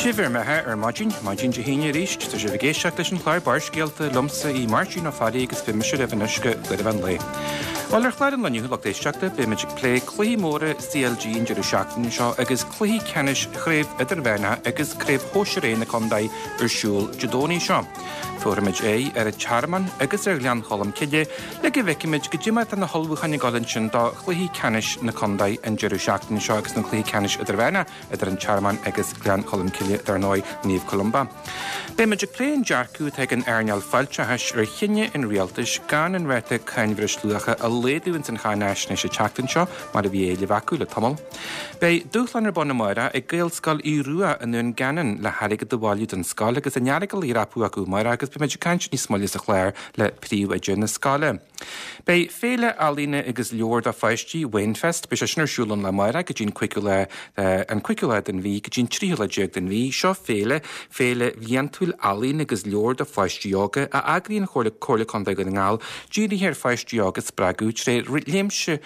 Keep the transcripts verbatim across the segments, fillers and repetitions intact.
Sibh ar mbeatha ar maidin, maidin Dé hAoine arís, tá sibh ag éisteacht leis an chlár Barrscéalta liomsa í Máirtín Ó Fearraigh agus beidh mise libh anois go deireadh an lae. Bhuel ar chlár an lae inniu lucht éisteachta, beimid ag plé cluichí móra CLG an deireadh seachtaine seo agus cluichí ceannais Chraobh Idirmheánach agus Craobh Shóisir A na Contae ar siúl Dé Domhnaigh seo. Tabharfaimid aghaidh ar an Tearmann agus ar Ghleann Cholm Cille le go bhfeicfimid goidé mar atá na hullmhúcháin ag dul ansin do chluichí ceannais na contae an deireadh seachtaine seo agus na cluichí ceannais idirmheánach idir an Tearmann agus Gleann Cholm Cille dar ndóigh Naomh Columba. Beimid ag plé an dearcadh atá ag an earnáil fáilteachais ar chinneadh an rialtais gan an ráta cáin bhreisluacha a laghdú ins an cháinaisnéis an tseachtain seo mar a bhí á éileamh acu le tamall. Beidh dúshlán ar bun amárach ag Gaelscoil Aodh Rua i nDún Geanainn le hairgead a bhailiú don scoil agus an Earagail á dhreapadh acu amárach agus beimid ag caint níos moille sa chlár le príomhoide na scoile. Beidh féile ealaíne agus leabhar do pháistí Wainfest, beidh sé sin ar siúl an lá amárach go dtí an cúigiú lá an cúigiú lá den mhí go dtí an tríú lá déag den mhí. Seo féile, féile bhliantúil ealaíon agus leabhar do pháistí óga a eagraíonn Comhairle Comhairle Contae Dhún na nGall dírithe ar pháistí óga a spreagadh tré réimse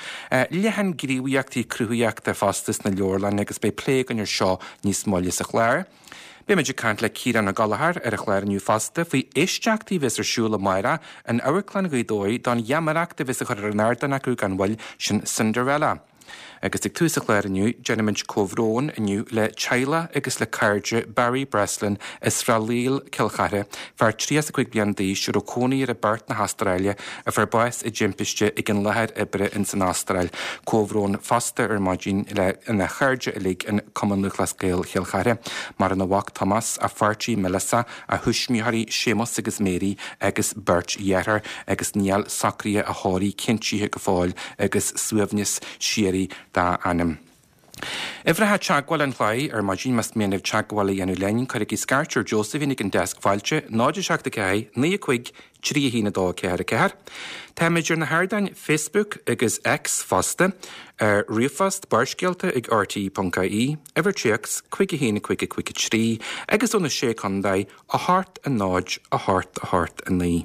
leathan gníomhaíochtaí cruthaitheachta fosta sna leabharlanna agus beidh plé againn ar seo níos moille sa chlár. Beimid ag caint le Ciarán Ó Gallchóir ar an chlár inniu fosta faoi éisteachtaí a bheas ar siúl amárach in Amharclann Ghaoth Dobhair don gheamaireacht a bheas á chur ar an ardán acu gan mhoill, sin Cinderella. Agus ag tús an chláir inniu, déanaimid comhbhrón inniu le teaghlach agus le cairde Barry Breslin as Srath Laoil, Cill Chartha, fear tríocha is a cúig bliain d'aois a raibh cónaí air i bPerth na hAstráile, a fuair bás i dtimpiste ag an láthair oibre ins an Astráil. Comhbhrón fosta ar maidin le ina chairde uilig in Cumann Lúthchleas Gael Chill Chartha, maireann a mhac Tomás, a pháirtí Melissa, a thuismitheoirí Séamus agus Mary agus beirt dheartháir agus níl socruithe a thórraimh cinntithe go fóill agus suaimhneas síoraí dá anam. Uimhreacha teagmhála an chláir ar maidin más mian libh teagmháil a dhéanamh linn, cuirigí scairt ar Josephine ag an deasc fáilte, náid a seacht a ceathair, naoi a cúig, trí a haon a dó a ceathair a ceathair. Táimid ar na hardáin Facebook agus X fosta, ar ríomhphost barrscéalta ag rte ponc ie, uimhir téacs cúig a haon a cúig a cúig a trí agus ó na Sé Contae a hocht a náid a hocht a hocht a naoi.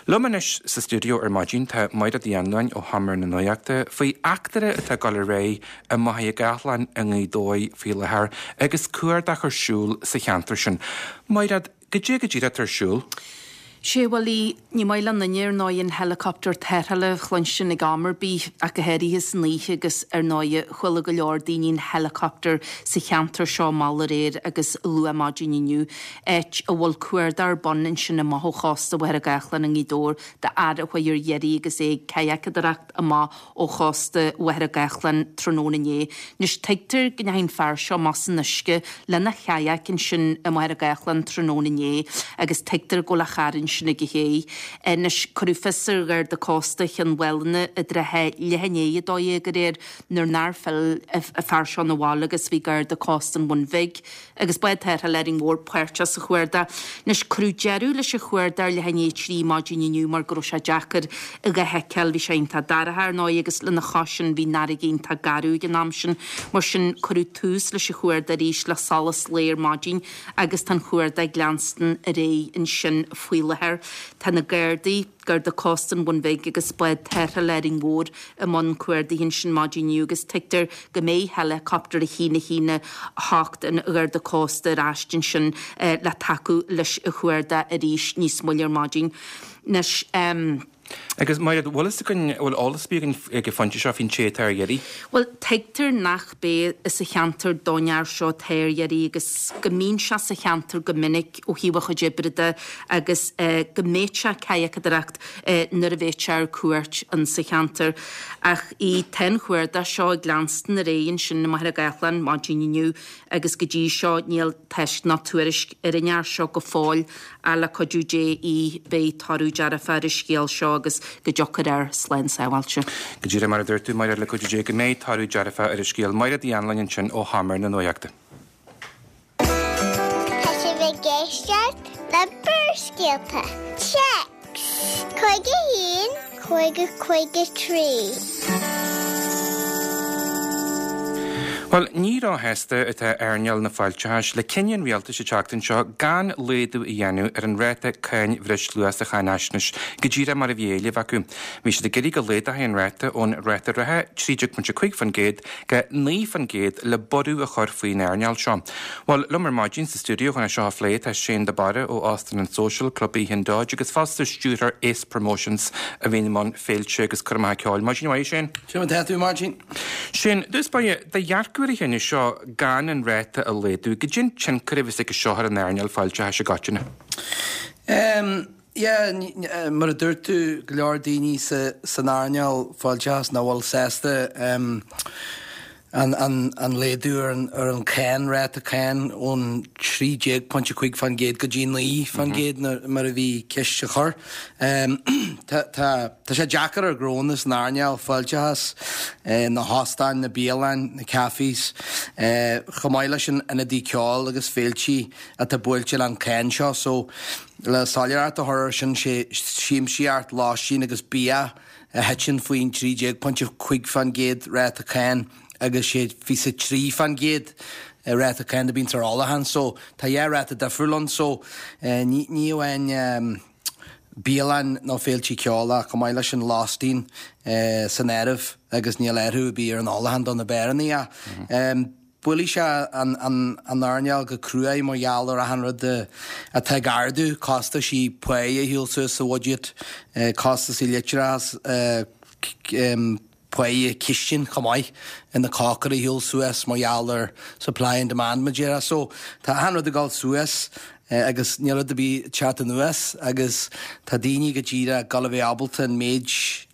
Liom anois sa stiúideo ar maidin tá Mairéad Uí Anluain ó Sheomra na Nuachta faoi eachtra atá ag dul ar aghaidh i Machaire Gathlán i nGaoth Dobhair faoi láthair agus cuardach ar siúl sa cheantar sin. Mairéad, goidé go díreach atá ar siúl? Sé bhuel í, ní maith le duine ar ndóigh an helicopter tarrthála a chluinstin ag am ar bith ach go háirithe san oíche agus ar ndóigh chuala go leor daoine an helicopter sa cheantar seo mall aréir agus luath maidin inniu, áit a bhfuil cuardach ar bun ansin amuigh ó chósta Mhachaire Gathlán i nGaoth Dobhair d'fhear a chuaigh ar iarraidh agus é ag cadhacadóireacht amach ó chósta Mhachaire Gathlán tráthnóna inné. Anois tuigtear go ndeachaigh an fear seo amach san uisce lena chadhac ansin i Machaire Gathlán tráthnóna inné agus tuigtear go bhfuil a charr ansin ag a chéidh. Anois cuireadh fios ar Gharda Cósta Chionn Mhálanna i dtrátha leath i ndiaidh a dó dhéag aréir nuair nár phill an fear seo 'na bhaile agus bhí Garda Cósta an Bhun Bhig agus bád tarrthála Árainn Mhór páirteach sa chuardach. Anois cuireadh deireadh leis an chuardach ar leath i ndiaidh a trí maidin inniu mar go raibh sé deacair é a fheiceáil. Bhí sé iontach dorcha ar ndóigh agus lena chois sin bhí an fharraige iontach garbh ag an am sin. Mar sin cuireadh tús leis an chuardach arís le solas lae ar maidin agus tá an chuardach ag leanstan ar aghaidh ansin faoi láthair. Tá na Gardaí, Garda Cósta an Bhun Bhig agus bád tarrthála Árainn Mhór i mbun cuardaigh ansin maidin inniu agus tuigtear go mbeidh helicopter a haon a haon a hocht an Gharda Cósta ar ais ansin le tacú leis an chuardach arís níos moille ar maidin. Anois, Agus Mairéad, bhfuil fhios againn, bhfuil eolas ar bith againn ag an phointe seo faoin té atá ar iarraidh? Bhuel, tuigtear nach b'é as an cheantar don fhear seo atá ar iarraidh agus go mbíonn sé sa cheantar go minic ó thaobh a chuid oibre de agus go mbíodh sé ag cadhacadóireacht nuair a bheadh sé ar cuairt in sa cheantar. Ach í tá an chuardach seo ag leanstan ar aghaidh ansin i Machaire Gathlán maidin inniu agus go dtí seo níl tásc ná tuairisc ar an fhear seo go fóill ach le cuidiú Dé í beidh toradh dearfach ar an scéal seo agus go dtiocfaidh air slán sábháilte. Go díreach mar a dúirt tú, Mairéad, le cuidiú Dé go mbeidh toradh dearfach ar an scéal. Mairéad Uí Anluain ansin ó Sheomra na Nuachta. Tá sibh ag éisteacht le Barrscéalta. Téacs cúig a haon cúig a cúig a trí. Bhuel, Bhuel, ní róshásta atá earnáil na fáilteachais le cinneadh an rialtais an tseachtain seo gan laghdú a dhéanamh ar an ráta cáin bhreisluacha sa cháinaisnéis go díreach mar a bhí á éileamh acu. Bhí siad ag iarraidh go laghdófaí an ráta ón ráta reatha trí déag pointe cúig faoin gcéad go naoi faoin gcéad le borradh a chur faoin earnáil seo. Bhuel, liom ar maidin sa stiúideo chun é seo a phlé tá Shane de Barra ó Óstán an Social, Club Oíche an Dodge agus fosta stiúrthóir Ace Promotions a bhíonn i mbun féilte agus coirmeacha ceoil. Maidin mhaith Shane. Sin tá tú Martin. Shane, dtús báire do dhearcadh ar an chinneadh seo gan an ráta a laghdú, goidé an tionchar a bheas aige seo ar an earnáil fáilteachais i gcoitinne. Um, yeah, mar a dúirt tú go leor daoine sa, san earnáil fáilteachas nach bhfuil sásta um, an, an, an laghdú ar an, ar an cáin ráta cáin ón trí déag pointe cúig faoin gcéad go dtí naoi faoin gcéad mar a bhí ceist a chur. Um, tá, tá, tá sé deacair ar ghnónna san earnáil fáilteachas, eh, na hóstáin, na bialanna, na cafés, eh, chomh maith leis an ionadaí ceoil agus féiltí atá buailte an cáin seo, so le soiléireacht a chur sin sé siamsaíocht, lóistín agus bia a thiteann faoin trí déag pointe cúig faoin gcéad ráta cáin agus sé fiche trí faoin gcéad ráta cáin a bhíonn ar ólachán, so tá dhá ráta difriúil ann so eh, ní ní amháin um, bialann nó féiltí ceoil ach chomh maith leis an lóistín eh, san áireamh agus níl athrú ar bith ar an ólachán do na beáranna ach um, Buailfidh sé an, an, an earnáil go cruaidh mar gheall ar achan rud atá ag ardú, costaisí pá a shiúl suas sa bhuiséad, eh, costaisí leictreachas, eh, um, pá cistine chomh maith in na cócairí a shiúl suas mar gheall ar supply and demand mar déarfá. So tá achan rud ag dul suas eh, agus níl rud ar bith ag teacht anuas agus tá daoine go díreach gan a bheith ábalta an méid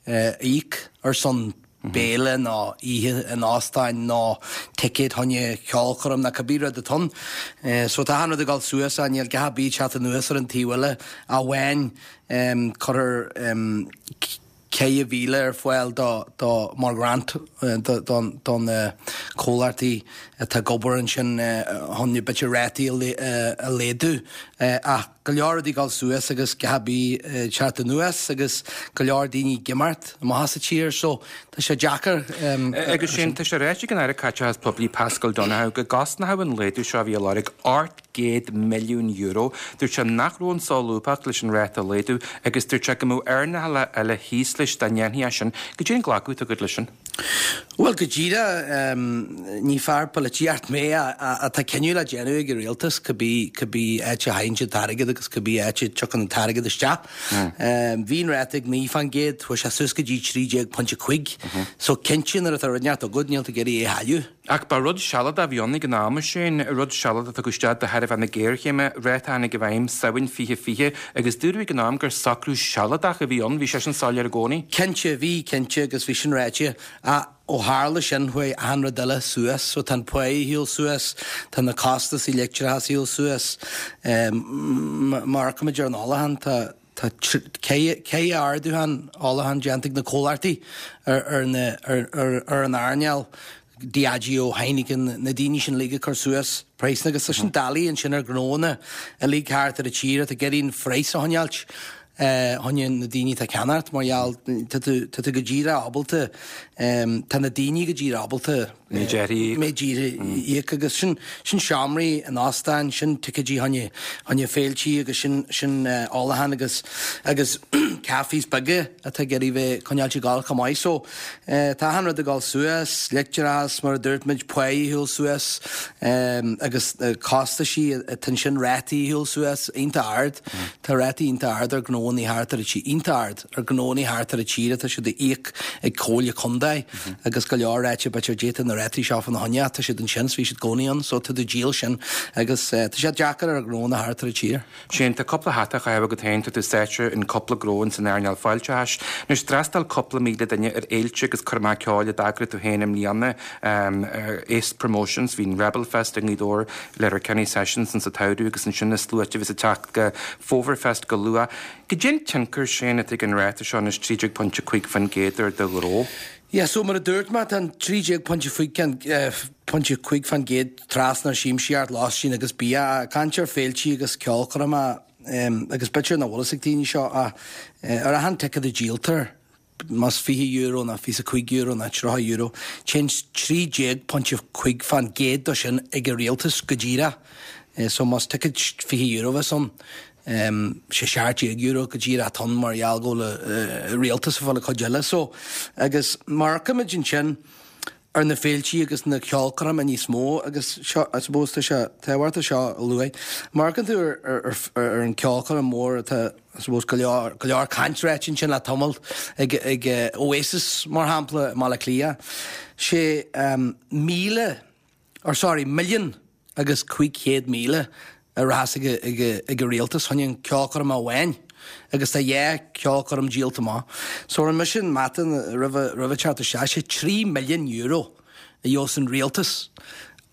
eh, íoc ar son béile nó oíche in óstán nó ticéad chun ceolchoirm nó cibé rud atá ann. Eh, so tá achan rud ag dul suas a níl gach bí teacht anuas ar an taobh eile amháin um, cuir um, ceithre mhíle ar fáil do, do mar grant don, don uh, comhlachtaí atá ag obair ansin chun b'fhéidir rátaí a laghdú ach go leor rudaí ag dul suas agus gach bí teacht anuas agus go leor daoine ag imeacht amach as an tír so tá sé deacair. Um, agus sin tá sé ráite ag an Aire Caiteachais Poiblí Paschal Donohoe go gcosnódh an laghdú seo a bhí á lorg ocht gcéad milliún euro. Dúirt sé nach raibh an solúbthacht leis an ráta a laghdú agus dúirt sé go mbeadh earnálacha eile thíos leis dá ndéanfaí é sin, goidé an glacadh atá agat leis sin. Well go díreach um, ní fear polaitíocht mé atá cinneadh le déanamh ag an rialtas cibé cibé áit a théann an t-airgead agus cibé áit a dtiocfaidh an t-airgead isteach. Um, Bhí an ráta ag naoi faoin gcéad chuaigh sé suas go dtí trí déag pointe cúig. So cinnte nuair atá rud inteacht agat níl tú ag iarraidh é a chailleadh. Ach ba rud sealadach a bhí ann ag an am sin, rud sealadach a tugadh isteach de thairbhe na géarchéime, ráta a tháinig i bhfeidhm Samhain fiche fiche agus dúradh ag an am gur socrú sealadach a bhí ann, bhí sé sin soiléir i gcónaí. Cinnte bhí cinnte agus bhí sin ráite a ó tharla sin chuaigh achan rud eile suas, so tá an pá ag siúl suas, tá na costais leictreachas ag siúl suas, um, mar go ar an ólachán tá tá ceithre ardú ólacháin déanta ag na comhlachtaí ar, ar, na, ar, ar, ar an earnáil Diageo Heineken na daoine sin uilig ag cur suas praghas agus sin doiligh ansin ar ghnónna uilig thart ar an tír atá ag iarraidh an praghas a choinneáilt chun na daoine atá ag ceannacht mar gheall tá tú go díreach ábalta tá na daoine go díreach ábalta méid íoc agus sin sin seomraí in óstáin sin ticéidí chun chun féiltí agus sin sin ólachán agus agus cafés beaga atá ag iarraidh bheith coinneáilte ag dul chomh maith so tá achan rud ag dul suas leictreachas mar a dúirt muid pá ag siúl suas agus costaisí tá sin rátaí ag siúl suas iontach ard Tá rátaí iontach ard ar gnónna thart ar tí iontach ard ar gnónna thart ar an tír atá siad a íoc ag Comhairle Contae agus go leor áite b'fhéidir déanta na rátaí seo fan na choinne tá siad ansin bhí siad i gcónaí ann so tá tú díol sin agus tá sé deacair ar gnónna thart ar an tír. Sin tá cúpla hata á chaitheamh agat féin tá tú sáite in cúpla gnó san earnáil fáilteachais. Anois d'fhreastail cúpla míle duine ar fhéilte agus coirmeacha ceoil a d'eagraigh tú féin i mbliana um, Ace Promotions, bhí an Rebel Fest i nGaoth Dobhair Letterkenny Sessions insa tsamhradh agus ansin na sluaite a bhí ag teacht go Fómharfest go luath. Goidé an tionchar sin atá ag an ráta seo anois trí déag pointe cúig faoin gcéad ar do ghnó. Ja, so mar a dúirt mé tá trí déag pointe pointe cúig faoin gcéad trasna siamsaíocht lóistín agus bia caint ar féiltí agus ceolchoirmeacha um, agus b'fhéidir nach bhfuil ag daoine seo a ar achan ticéad a díoltar más fiche euro ná fiche cúig euro ná tríocha euro, téann trí déag pointe cúig fán gcéad de sin ag an rialtas go díreach. So más ticéad fiche euro bheas ann, sé seacht déag euro go díreach atá ann mar gheall go bhfuil an rialtas ag fáil an chuid eile. So agus má amharcaimid ansin ar na féiltí agus na ceolchoirmeacha níos mó agus seo, I suppose tá sé tábhachtach seo a lua. Má amharcann tú ar, ar, ar, ar an ceolchoirm mór atá, I suppose, go leor, go leor caint ráite ansin le tamall ag, ag Oasis mar shampla i mBaile Átha Cliath, sé um, míle, or sorry, million agus cúig chéad míle a rachas ag, ag, ag an rialtas chun an ceolchoirm amháin agus tá dhá ceolchoirm díolta amach. So rinne mise an mata roimhe roimhe teacht isteach sé trí million euro a gheobhas an rialtas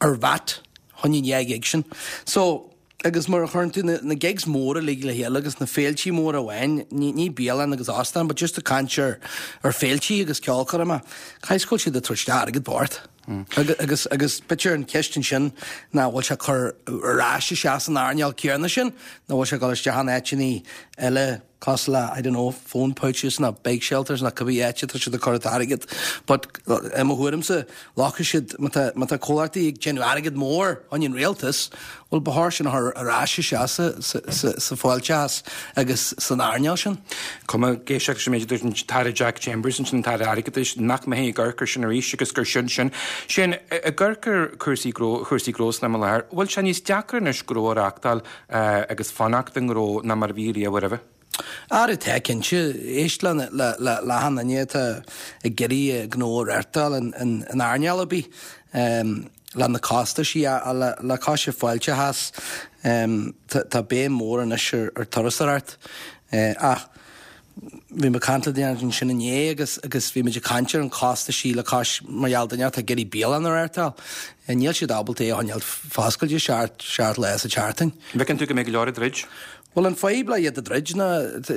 ar VAT chun an dhá ghig sin. So agus mar a chuireann tú na, na gigs móra uilig le chéile agus na féiltí móra amháin, ní, ní bialann agus óstán, but just ag caint ar, ar féiltí agus ceolchoirmeacha, caithfidh go bhfuil siad ag tabhairt airgead bocht. Agus, agus, agus b'fhéidir an cheist ansin ná bhfuil sé cur ar ais isteach san earnáil céanna sin, nó bhfuil sé ag dul isteach in áiteanna eile cosúil le, I don't know, phone pouches nó bike shelters nó cibé áit atá siad ag cur an t-airgead. But i mo thuairimse, glacfaidh siad, má tá, má tá comhlachtaí ag déanamh airgead mór chun an rialtas, bhuel ba chóir sin a chur ar ais isteach sa, sa, sa, sa fáilteachas agus san earnáil sin. Cuma ag éisteacht leis an méid a dúirt an tAire Jack Chambers ansin, an tAire Airgeadais, nach mbeidh ag amharc air sin arís agus gur sin sin. Sin, ag amharc ar chúrsaí gnó, chúrsaí gnó san am i láthair, bhfuil sé níos deacra anois gnó a reáchtáil agus fanacht i ngnó ná mar a bhí riamh roimhe? Ara tá, cinnte. Éist le le le le achan duine atá ag iarraidh gnó a reáchtáil in in in earnáil ar bith le na costaisí a le le cois an fáilteachas tá tá béim mór anois ar ar turasóireacht ach bhí mé ag caint le duine ansin inné agus agus bhí muid ag caint ar an costaisí le cois mar gheall duine atá ag iarraidh bialann a reáchtáil. Níl siad ábalta é a choinneáil foscailte seacht seacht lá sa tseachtain. An bhfeiceann tú go mbeidh go leor ag druid? Bhuel an fadhb le iad a druid ná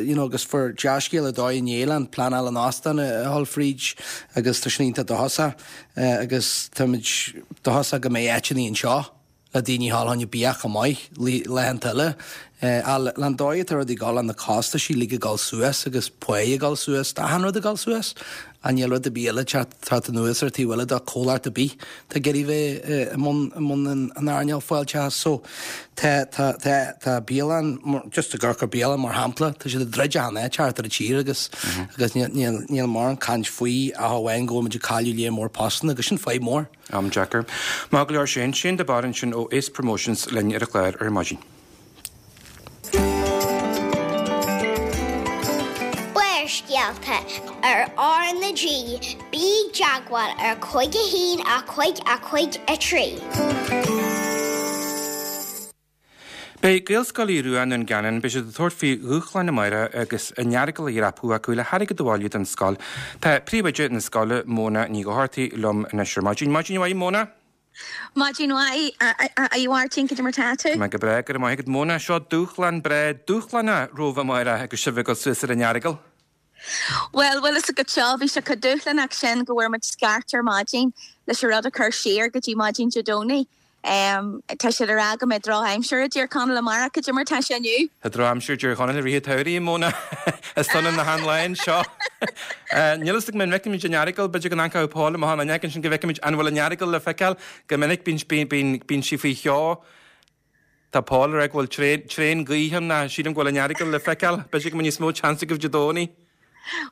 you know agus fuair dea-scéala dóigh inné le an pleanáil an óstán a dhul fríd agus tá sin iontach dóchasach agus táimid dóchasach go mbeidh áiteanna anseo le daoine a dhul chun bia chomh maith laethanta eile. Ach le an dóigh atá rudaí ag dul, le na costaisí uilig ag dul suas agus páí ag dul suas, tá achan rud ag dul suas. Ach níl rud ar bith eile ag teacht anuas ar taobh eile do comhlacht ar bith atá ag iarraidh bheith i mbun i mbun an an earnáil fáilteachais. So tá tá tá tá bialann just ag amharc ar bialann mar shampla, tá siad ag druid achan áit thart ar an tír agus agus níl níl níl mórán caint faoi ach amháin go bhfuil muid ag cailleadh lear mór postanna agus sin fadhb mór. Am deacair. Maith go leor Shane, Shane de Barr ansin ó Ace Promotions linn ar an chlár ar maidin. Barrscéalta ar R na G, bí i dteagmháil ar cúig a haon a cúig a cúig a trí. Beidh Gaelscoil Aodh Rua i nDún Geanainn, beidh siad ag tabhairt faoi dhúshlán amárach agus an Earagail a dhreapadh acu le hairgead a bhailiú don scoil. Tá príomhoide na scoile, Móna Ní Dhochartaigh, liom anois ar maidin. Maidin mhaith, Móna. Maidin mhaith, a Mháirtín, cad é mar tá tú? Tá mé go breá, go raibh maith agat. Móna, seo dúshlán breá, dúshlánach romhaibh amárach agus sibh ag dul suas ar an Earagail. Bhuel, bhfuil fhios agat seo, bhí sé chomh dúshlánach sin go bhfuair muid scairt ar maidin leis an rud a chur siar go dtí maidin Dé Domhnaigh. Tá siad ag rá go mbeidh drochaimsir i dTír Chonaill amárach, cad é mar tá sé inniu? Tá drochaimsir i dTír Chonaill i rith an tsamhraidh, a Mhóna. Is ionann na han-lá anseo. Níl fhios agam an bhfeicfimid an Earagail, b'fhéidir go n-amharcfadh Paul amach an fhuinneog ansin go bhfeicfimid an bhfuil an Earagail le feiceáil. Go minic bíonn, bíonn, bíonn sí faoi cheo. Tá Paul ag rá go bhfuil tréan, tréan gaoithe ann, sílim go bhfuil an Earagail le feiceáil. B'fhéidir go mbeidh níos mó chance agaibh Dé Domhnaigh.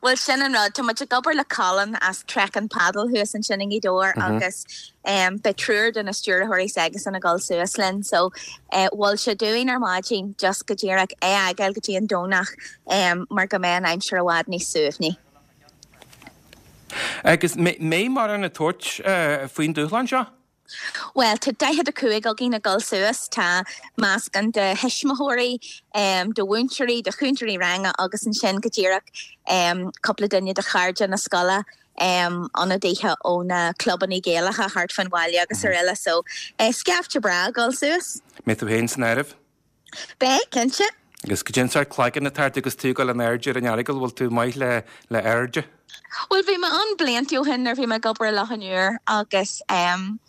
Bhuel, sin an rud. Tá muid ag obair le Colin as Trek and Paddle thuas ansin i nGaoth Dobhair agus beidh triúr de na stiúrthóirí s'aigesan ag dul suas linn. So, mhol sé dúinn ar maidin just go díreach é a fhágáil go dtí an Domhnach mar go mbeidh an aimsir i bhfad níos suaimhní. Agus mbeidh mórán ag tabhairt faoin dúshlán seo? Bhuel, tá daichead a cúig againn ag dul suas. Tá meascán de thuismitheoirí, de mhúinteoirí, de chúntóirí ranga agus ansin go díreach cúpla duine de chairde na scoile, ionadaithe ó na clubanna Gaelacha thart fán bhaile agus araile. So, scaifte breá ag dul suas. Mbeidh tú féin san áireamh? Beidh, cinnte. Agus cad é an sórt cloigeann atá ort agus tú ag dul in airde ar an Earagail, bhfuil tú maith le le airde? Bhuel, bhí mé ann blianta ó shin nuair a bhí mé ag obair i Loch an Iúir agus em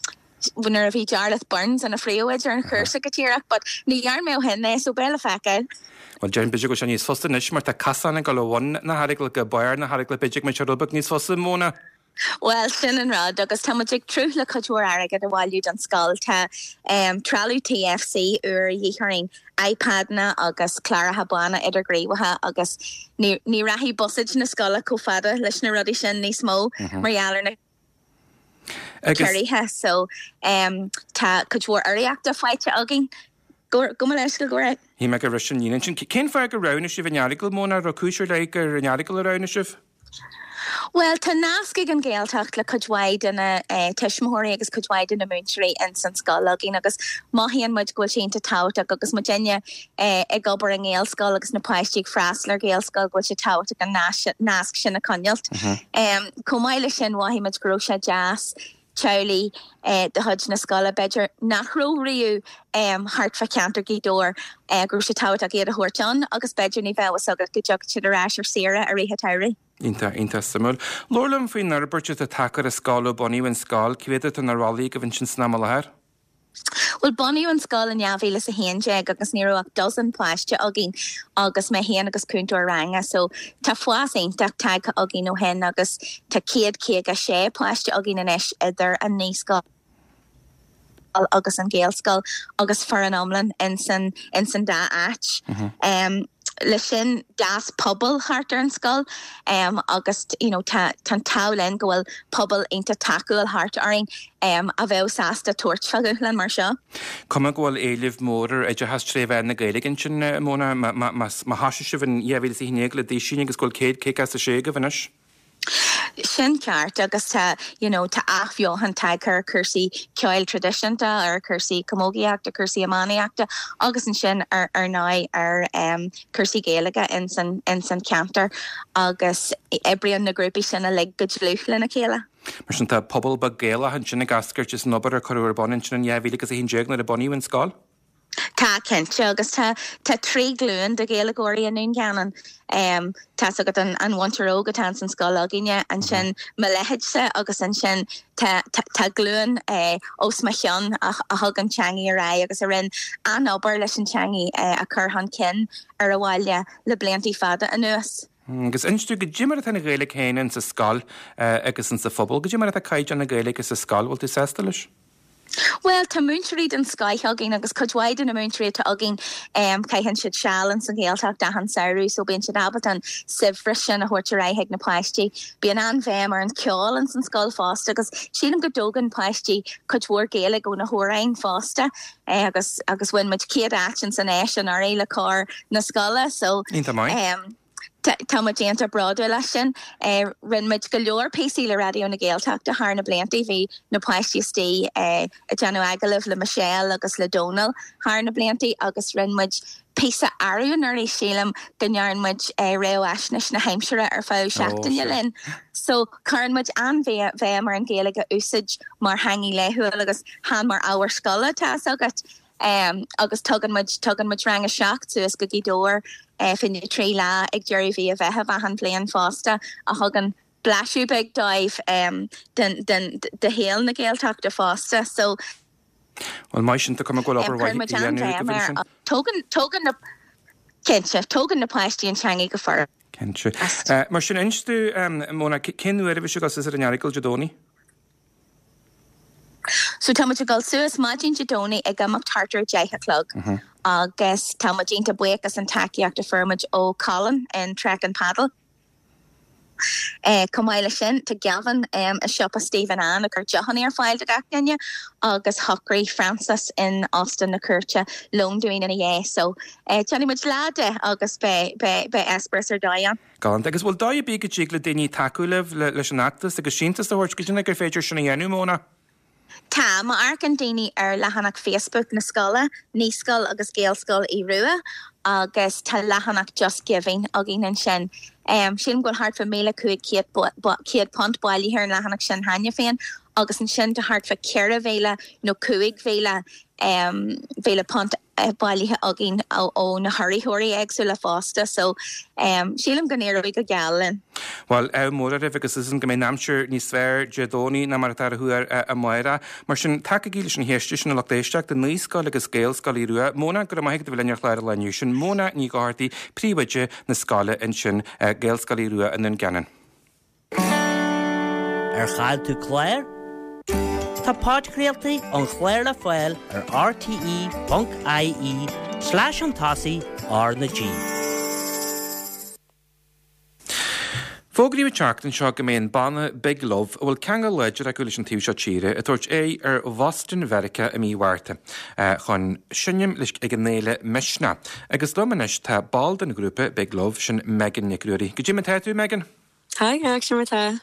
nuair a bhí Jarlath Burns ina phríomhoide ar an chúrsa go díreach, but ní dhearna mé ó shin é, so beidh le feiceáil. Bhuel, déarfainn b'fhéidir go bhfuil sé níos fusa anois mar tá casán ag dul ó bhun na hEaragaile go barr na hEaragaile, b'fhéidir go mbeidh sé rud beag níos fusa, Mona. Bhuel, sin an rud, agus tá muid ag tnúth le cuid mhór airgead a bhailiú don scoil. Tá trealamh TFC úr a dhíth orainn, iPadanna agus cláracha bána idirghníomhacha agus ní ní rachaidh buiséad na scoile chomh fada leis na rudaí sin níos mó mar gheall ar na ciorruithe. So tá cuid mhór urraíochta faighte againn. Gabh mo leithscéal, go raibh. Shíl mé gur bhris an líne ansin. Cén fáth gur roghnaigh sibh an Earagail, Mona? Raibh cúis ar leith gur an Earagail a roghnaigh sibh? Bhuel, tá nasc ag an Ghaeltacht le cuid mhaith de na tuismitheoirí agus cuid mhaith de na múinteoirí ins an scoil againn agus mothaíonn muid go bhfuil sé iontach tábhachtach agus muidinne ag obair i nGaelscoil agus na páistí ag freastal ar Ghaelscoil go bhfuil sé tábhachtach an nasc sin a choinneáilt. Chomh maith leis sin mhothaigh muid go raibh sé deas teaghlaigh de chuid na scoile, b'fhéidir, nach raibh riamh thart fá cheantar Ghaoth Dobhair, go raibh sé tábhachtach iad a thabhairt ann agus b'fhéidir ní bheadh a fhios agat go dtiocfadh siad ar ais ar saoire i rith an tsamhraidh. Iontach, iontach suimiúil. Labhair liom faoin fhorbairt atá tagtha ar an scoil ó bunaíodh an scoil. Cé mhéad atá ina agaibh ansin san am i láthair? Bhuel, bunaíodh an scoil in dhá mhíle is a haon déag agus ní raibh ach dozen páiste againn agus mé féin agus cúntóir ranga so tá fás iontach tagtha againn ó shin agus tá céad caoga sé páiste againn anois idir an naíscoil agus an Ghaelscoil agus foireann iomlán ins an ins an dá áit. Leis sin d'fhás pobal thart ar an scoil agus you know tá tá an t-ádh linn go bhfuil pobal iontach tacúil thart orainn a bheadh sásta tabhairt fá dhúshlán mar seo. Cuma go bhfuil éileamh mór ar oideachas tré mheán na Gaeilge ansin, Mona, má thosaigh sibh in dhá mhíle is a haon déag le duisín agus go bhfuil céad caoga is a sé agaibh anois. Sin ceart agus tá you know tá athbheochan tagtha ar chúrsaí ceoil traidisiúnta, ar chúrsaí camógaíochta, cúrsaí iománaíochta agus ansin ar ar ndóigh ar um cúrsaí Gaeilge ins an ins an cheantar agus oibríonn na grúpaí sin uilig go dlúth lena chéile. Mar sin tá pobal beag Gaelach ansin ag eascairt as an obair a cuireadh ar bun ansin in dhá mhíle agus a haon déag nuair a bunaíodh an scoil. Tá, cinnte, agus tá tá trí ghlúin de Ghaeilgeoirí i nDún Geanainn. Tá's agat an an mhuintir óg atá ins an scoil againne, ansin mo leithéidse agus ansin tá tá glúin os mo chionn a a thug an teangaidh ar aghaidh agus a rinne an-obair leis an teangaidh a chur chun cinn ar an bhaile le bliantaí fada anuas. Agus inis domh, goidé mar atá an Ghaeilge féin insa scoil agus insa phobal, goidé mar atá caighdeán na Gaeilge sa scoil, bhfuil tú sásta leis? Bhuel, tá múinteoirí den scoith againn agus cuid mhaith de na múinteoirí atá againn, caitheann siad seal ins an Ghaeltacht achan samhradh so bíonn siad ábalta an saibhreas sin a thabhairt ar aghaidh chuig na páistí. Bíonn an-bhéim ar an cheol ins an scoil fosta agus sílim go dtógann páistí cuid mhór Gaeilge ó na hamhráin fosta agus agus bhain muid céad áit ins an Fheis anuraidh le cór na scoile so Iontach maith. Tá muid iontach bródúil as sin. Rinne muid go leor píosaí le Raidió na Gaeltachta thar na blianta. Bhí na páistí istigh ag déanamh agallaimh le Michelle agus le Dónal thar na blianta agus rinne muid píosa arú anuraidh, sílim, go ndearn muid réamhaisnéis na haimsire ar feadh seachtaine linn. So cuireann muid an-bhéim ar an Ghaeilge a úsáid mar theangaidh laethúil agus chan mar ábhar scoile, tá fhios agat. Agus tugann muid, tugann muid rang a seacht suas go Gaoth Dobhair fá choinne trí lá ag deireadh mhí an Mheithimh achan bhliain fosta a thugann blaiseadh beag dóibh den, den, de shaol na Gaeltachta fosta. So. Bhuel, maith sin, tá cuma go bhfuil obair mhaith á dhéanamh agaibh ansin. Tógann, tógann na, cinnte, tógann na páistí an teangaidh go furasta. Cinnte. Mar sin, inis domh, Mona, cén uair a bheidh sibh ag dul suas ar an Earagail Dé Domhnaigh? So tá muid ag dul suas maidin Dé Domhnaigh ag imeacht thart ar a deich a chlog agus tá muid iontach buíoch as an tacaíocht a fuair muid ó Colin in Trek and Paddle. Chomh maith leis sin tá Gavin i siopa Stephen Ann ag cur deochanna ar fáil do gach duine agus shocraigh Francis in Óstán na Cúirte lón dúinn ina dhiaidh. So déanfaidh muid lá de agus beidh beidh eispéireas ar dóigh ann. Galánta. Agus bhfuil dóigh ar bith go dtig le daoine tacú libh leis an fheachtas agus síntiús a thabhairt? Goidé gur féidir sin a dhéanamh, Mona? Tá, má amharcann daoine ar leathanach Facebook na scoile, Naíscoil agus Gaelscoil Aodh Rua, agus tá leathanach Just Giving againn ansin. Sílim go bhfuil thart fá míle cúig chéad céad punt bailithe ar an leathanach sin cheana féin agus ansin tá thart fá ceithre mhíle nó cúig mhíle mhíle punt bailithe againn ó na hurraitheoirí éagsúla fosta so um, sílim go n-éireoidh go geal linn. Well ádh mór oraibh agus is go mbeidh an aimsir níos fearr Dé Domhnaigh ná mar atá ar thuar amárach. Mar sin tacaigí leis an héiste sin a lucht éisteachta Naíscoil agus Gaelscoil Aodha Rua. Móna go raibh maith agat a bheith linn ar chlár an lae inniu sin Móna Ní Dhochartaigh príomhoide na scoile ansin Gaelscoil Aodha Rua i nDún Geanainn. Ar chaill tú clár? Tá podchraoltaí an chláir le fáil ar rte.ie slash an tosaigh R na G. Fógraíodh an tseachtain seo go mbeidh an banna Big Love, a bhfuil ceangal láidir acu leis an taobh seo tíre, ag tabhairt aghaidh ar Bhoston Mheiriceá i mí Mhárta chun seinm leis ag an fhéile Misneach. Agus liom anois tá ball den ghrúpa Big Love, sin Megan Nic Ruairí. Goidé mar atá tú, Megan? Hi, sin mar tá.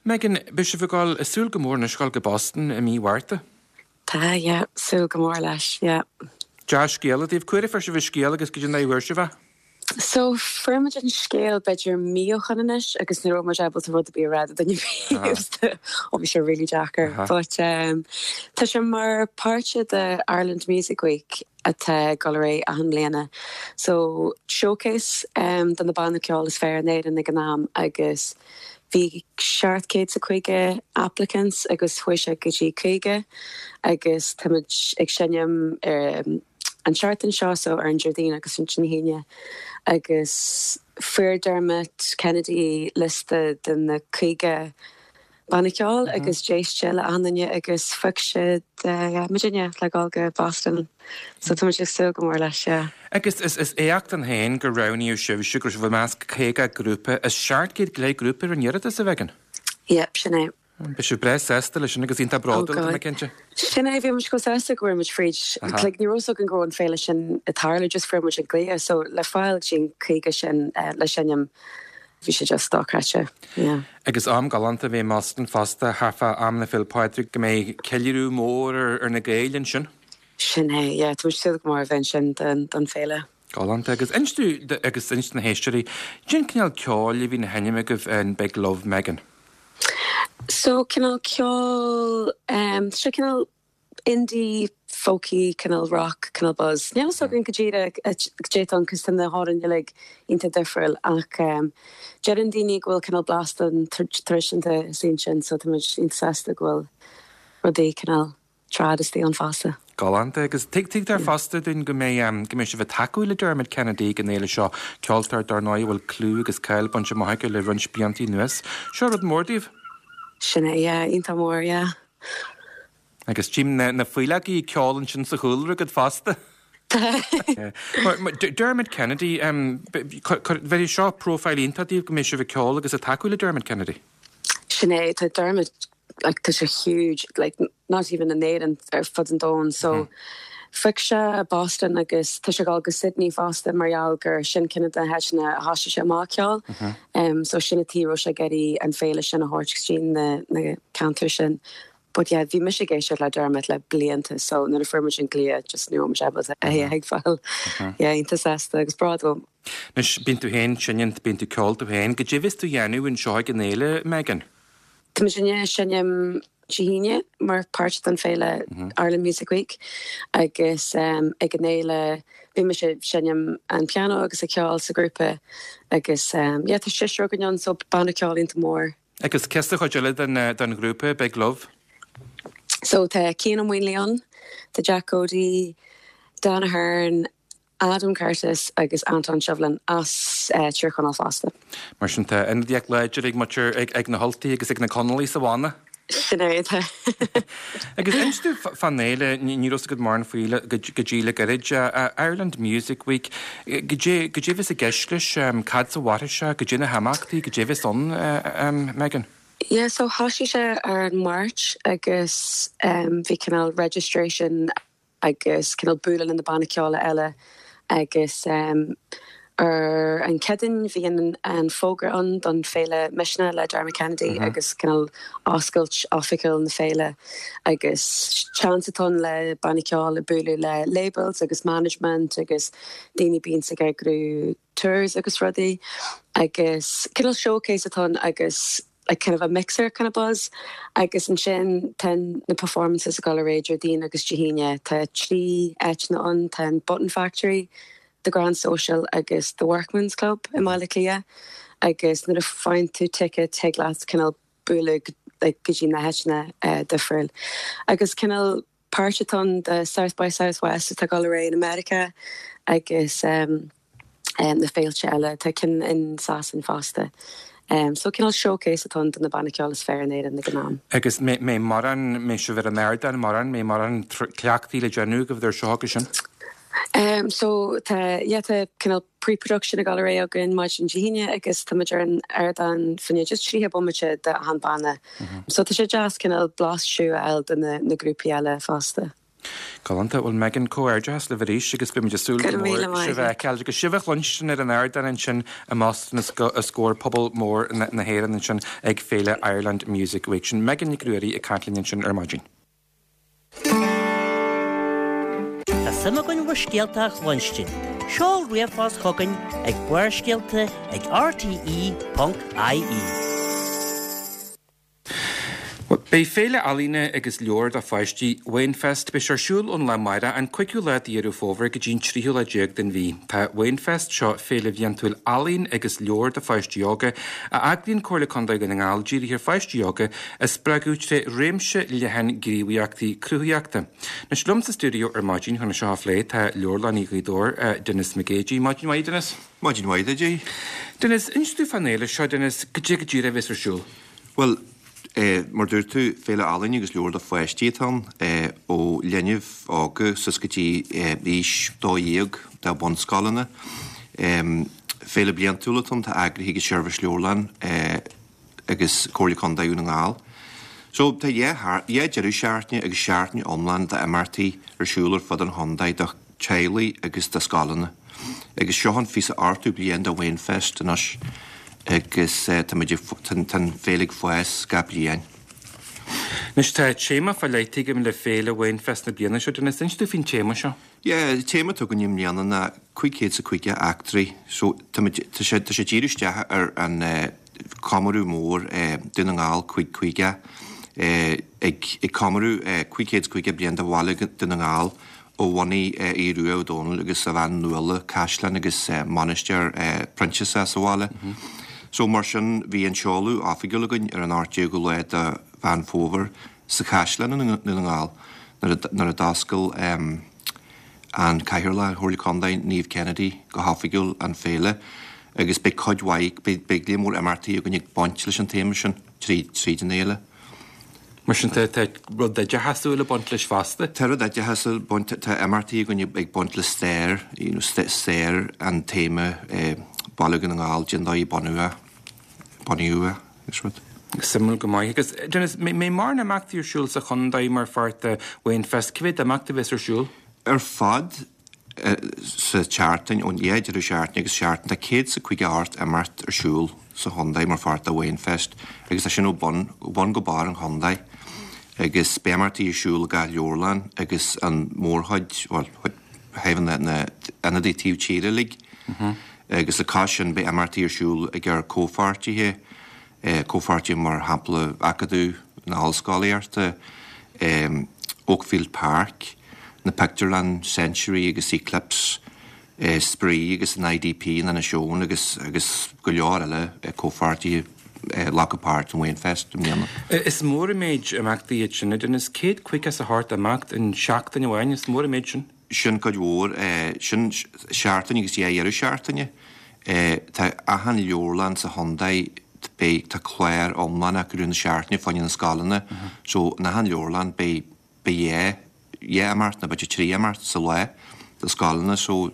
Megan, beidh sibh ag dul ag súil go mór anois dul go Boston i mí Mhárta. Tá, yeah, súil go mór leis, yeah. Dea-scéala daoibh. Cá huair a fuair sibh an scéal agus goidé an dóigh a bhfuair sibh é? So fuair muid an scéal b'fhéidir mí ó shin anois agus ní raibh muid ábalta rud ar bith a rá do dhuine ar bith. Ó bhí sé really deacair. But um, tá sé mar páirt de Ireland Music Week atá ag dul ar aghaidh achan mbliana. So showcase um, do na bannaí ceoil is fearr in Éirinn ag an am agus bhí seacht céad is a caoga applicants agus chuaigh sé go dtí caoga agus táimid ag seinm ar um, an seachtain seo so ar an Déardaoin agus an Aoine agus fuair Dermot Kennedy liosta de na caoga banna ceoil agus d'éist sé le achan duine agus phioc siad muidinne le dul go Boston. So tá muid ag súil go mór leis yeah. Agus is is éacht ann féin gur roghnaíodh sibhse go raibh sibh i measc caoga grúpa is seacht gcéad go leith grúpa ar an iarratas a Mhegan. Yep, sin é. Beidh sibh breá sásta leis sin agus iontach bródúil tá mé cinnte. Sin é bhí muid chomh sásta go raibh muid fríd. Like, ní raibh fhios againn go raibh an féile sin ag tarlú just fuair muid an glao so le fáil sin caoga sin uh, le seinm bhí sé just dochreidte. Yeah. Agus am galánta a bheidh i mBoston fosta thart fá am na Féile Pádraig go mbeidh ceiliúradh mór ar, ar na Gaeil ansin. Sin é, yeah, tá muid súil go mór a bheith ansin don, don féile. Galánta agus inis dúinn agus inis do na héisteoirí, cén cineál ceoil a bhíonn á sheinm agaibh in Big Love Megan. So cineál ceol um, sé cineál indie folky cineál rock cineál buzz. Níl fhios againn go díreach goidé cos tá na hamhráin uilig iontach difriúil ach um, deireann daoine go bhfuil cineál blasta an traidisiúnta sin sin so tá muid iontach sásta go bhfuil rudaí cineál trad istigh ann fosta. Galánta agus tuigtear fosta dúinn go mbeidh um, go mbeidh sibh ag tacú le Dermot Kennedy ag an fhéile seo ceoltóir dar ndóigh a bhfuil clú agus cáil bainte amach aige le roinnt blianta anuas. Seo rud mór daoibh. Sin é yeah, iontach mór yeah. Agus tím na, na faoileogaí ceol ansin sa chúlra agat fosta. Dermot Kennedy, um, bheidh seo profile iontach daoibh go mbeidh sibh ag ceol agus ag tacú le Dermot Kennedy. Sin é tá Dermot like tá sé huge like not even in Éirinn ar fud an domhain so mm. Phioc sé Boston agus tá sé ag dul go Sydney fosta mar gheall gur sin ceann de na háiteanna a thosaigh sé amach ceol. Mm -hmm. um, so sin an tuige sé ag iarraidh an féile sin a thabhairt go dtí na, na ceantair sin. But yeah, bhí mise ag éisteacht le Dermot le blianta so nuair a fuair muid an glao just ní raibh muid é ag fáil yeah, iontach sásta agus bródúil. Anois bíonn tú féin seinm bíonn tú ag ceol tú féin, goidé a bheas tú a dhéanamh anseo ag an fhéile Megan. Tá muid ag seinm Dé hAoine mar páirt den féile mm -hmm. Ireland Music Week agus um, ag an fhéile bhí mise ag seinm an piano agus ag ceol sa grúpa agus um, yeah, tá seisear againn ann so banna ceoil iontach mór. Agus cé hiad an chuid eile den, den ghrúpa Big Love? So tá Cian Ó Maonlaí ann, tá Jack Cody, Dan Ahern, Adam Curtis agus Anton Shovlin as uh, Tír Chonaill fosta. Mar sin tá ionadaíocht láidir ag muintir ag, ag na hUltaigh agus ag na Conallaigh sa bhanna. Sin é tá. Agus inis dúinn fán fhéile ní raibh go mórán faoi go dtí le gairid Ireland Music Week goidé goidé a bheas i gceist leis cad as a mhairfidh sé goidé na himeachtaí goidé a bheas ann Megan. Yeah, so thosaigh sé ar an Máirt agus um, bhí cineál registration agus cineál bualadh na bannaí ceoil eile agus um, ar an Chéadaoin bhí an, an fógra ann don féile Misneach le Dermot Kennedy mm -hmm. agus cineál oscailt oifigiúil na féile agus seans atá ann le bannaí ceoil bualadh le labels agus management agus daoine bíonn ag eagrú tours agus rudaí agus cineál showcase atá ann agus like kind of a mixer kind of buzz agus ansin tá na performances ag dul ar aghaidh Déardaoin agus Dé hAoine tá trí áiteanna ann tá an Button Factory, the Grand Social agus the Workman's Club i mBaile Átha Cliath agus nuair a faigheann tú ticket tig leat cineál bualadh like, go dtí na háiteanna uh, difriúil. Agus cineál páirt atá ann de South by Southwest atá ag dul ar aghaidh in America agus um, um, na féilte eile tá cinn in Sasain fosta. Um, so cineál showcase atá ann do na bannaí ceoil is fearr in Éirinn ag an am. Agus mbeidh mórán mbeidh sibh ar an ardán mórán mbeidh mórán cleachtaí le déanamh go bhfuil seo agus sin. Um, so tá yeah, tá cineál pre-production ag dul ar aghaidh againn maidin Dé hAoine agus tá muid ar an ardán fá choinne just tríocha bomaite de achan banna. Mm -hmm. So tá sé deas cineál blaiseadh a fháil de na, na grúpaí eile fosta. Galánta bhuel Megan comhghairdeas libh arís agus beimid ag súil go mór sibh a fheiceáil agus sibh a chluinstin ar an ardán ansin i mBoston os comhair pobal mór na hÉireann ansin ag Féile Ireland Music Week sin Megan Nic Ruairí ag caint linn ansin ar maidin. Tá suim againn bhur scéalta a chluinstin. Seol ríomhphost chugainn ag Barrscéalta ag rte.ie. Beidh Féile Ealaíne agus Leabhar do Pháistí Wainfest beidh sé ar siúl ón lá amárach an cúigiú lá de Dheireadh Fómhair go dtí an tríú lá déag den mhí. Tá Wainfest seo féile bhliantúil ealaíon agus leabhar do pháistí óga a eagraíonn Comhairle Contae Dhún na nGall dírithe ar pháistí óga a spreagadh tré réimse leathan gníomhaíochtaí cruthaitheachta. Anois liom sa stiúideo ar maidin chun é seo a phlé tá Leabharlannaí Ghaoth Dobhair, Denis McGeady. Maidin mhaith, Denis. Maidin mhaith duit. Denis, inis dúinn fán fhéile seo, Denis, goidé go díreach a bheas ar siúl. Bhuel, Mar dúirt tú, Féile Ealaíne agus Leabhar do Pháistí atá ann, ó linbh óga suas go dtí aois dó dhéag de bhunscoileanna. Féile bliantúil atá ann, tá eagraithe ag an Seirbhís Leabharlann agus Comhairle Contae Dhún na nGall. So tá dhá deireadh seachtaine agus seachtain iomlán d'imeachtaí ar siúl ar fud an chontae do teaghlaigh agus do scoileanna. Agus seo an fiche ochtú bliain de Wainfest anois. agus tá muid ag, tá an féile ag fás gach bliain. Anois tá téama fá leith againn le Féile Wainfest na bliana seo, Denis, inis dúinn faoin téama seo. Yeah, an téama atá againn i mbliana ná cúig chéad is a caoga eachtraí. So tá muid, tá sé, tá sé díriú isteach ar an comóradh mór Dún na nGall cúig caoga, ag, ag comóradh cúig chéad is caoga bliain de bhaile Dún na nGall ó bhunaigh Aodh Rua Ó Dónaill agus a bhean Nuala caisleán agus mainistir Proinsiasach sa bhaile. So mar sin bhí an seoladh oifigiúil againn ar an ocht déagú lá de Mheán Fómhair sa chaisleán i nDún na nGall nuair a d'oscail an Cathaoirleach Chomhairle Contae Niamh Kennedy go hoifigiúil an féile agus beidh cuid mhaith, beidh líon mór imeachtaí againn ag baint leis an téama sin tríd an fhéile. Mar sin tá rud oideachasúil ag baint leis fosta? Tá rud oideachasúil ag baint, tá imeachtaí againn ag baint le stair, you know, stair an téama Baile Dhún na nGall, cén dóigh a bunaíodh é, bunaíodh é agus rud. Suimiúil go maith. Agus Denis, mbeidh mórán imeachtaí ar siúl sa chontae mar pháirt de Wainfest, cé mhéad imeacht a bheas ar siúl? Ar fad sa tseachtain, ón dhá deireadh seachtaine agus seachtain, tá céad is a caoga ocht imeacht ar siúl sa chontae mar pháirt de Wainfest agus tá sin ó bun, ó bun go barr an chontae agus beidh imeachtaí ar siúl i gach leabharlann agus an mhórchuid, bhuel, thaobh na, na ionadaí taobh tíre uilig agus le cois sin beidh imeachtaí ar siúl ag ár comhpháirtithe, comhpháirtithe mar shampla Acadamh na hOllscolaíochta, Oakfield Park, na pictiúrlann Century agus Eclipse, Spraoi agus an IDP in Inis Eoghain agus agus go leor eile comhpháirtithe a ghlacfaidh páirt in Wainfest i mbliana. Is mór an méid imeachtaí iad sin, a Denis, céad caoga is a hocht imeacht in seachtain amháin, is mór an méid sin. Sin cuid mhór, sin seachtain agus dhá dheireadh seachtaine. Tá achan leabharlann sa chontae, beidh, tá clár iomlán acu i rith na seachtaine fá choinne na scoileanna, so in achan leabharlann beidh, beidh dhá, dhá imeacht nó b'fhéidir trí imeacht sa lá do scoileanna so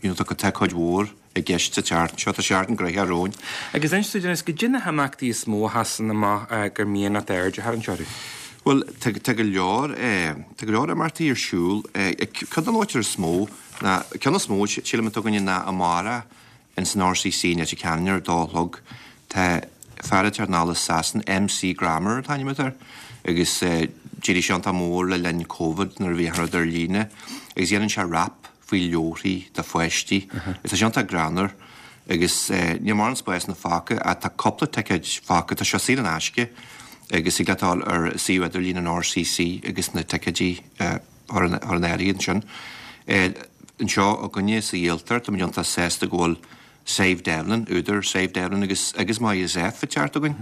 you know tá tá cuid mhór i gceist sa tseachtain seo, tá seachtain gnoitheach romhainn. Agus inis dúinn Denis, goidé na himeachtaí is mó a sheasann amach gur mian leat aird a tharraingt orthu? Bhuel, tá tá go leor tá go leor imeachtaí ar siúl. Ceann de na háiteanna is mó ná, ceann is mó sílim atá againne ná amárach ins an RCC i Leitir Ceanainn ar a dó a chlog. Tá fear ag teacht anall as Sasain, MC Grammar an t-ainm atá air, agus d'éirigh sé iontach mór le linn Covid nuair a bhí achan rud ar líne, agus dhéanann sé rap faoi leabharthaí do pháistí. Agus tá sé iontach greannmhar Agus níl mórán spásanna fágtha ach tá cúpla ticéid fágtha, tá sé saor in aisce agus thig leat dul ar suíomh idirlín an RCC agus na ticéidí a chur in áirithe ansin. Anseo againne sa Ghaeltacht, táimid iontach sásta go bhfuil Sadhbh Devlin, údar Sadhbh Devlin agus agus Maya Zeff ag teacht chugainn.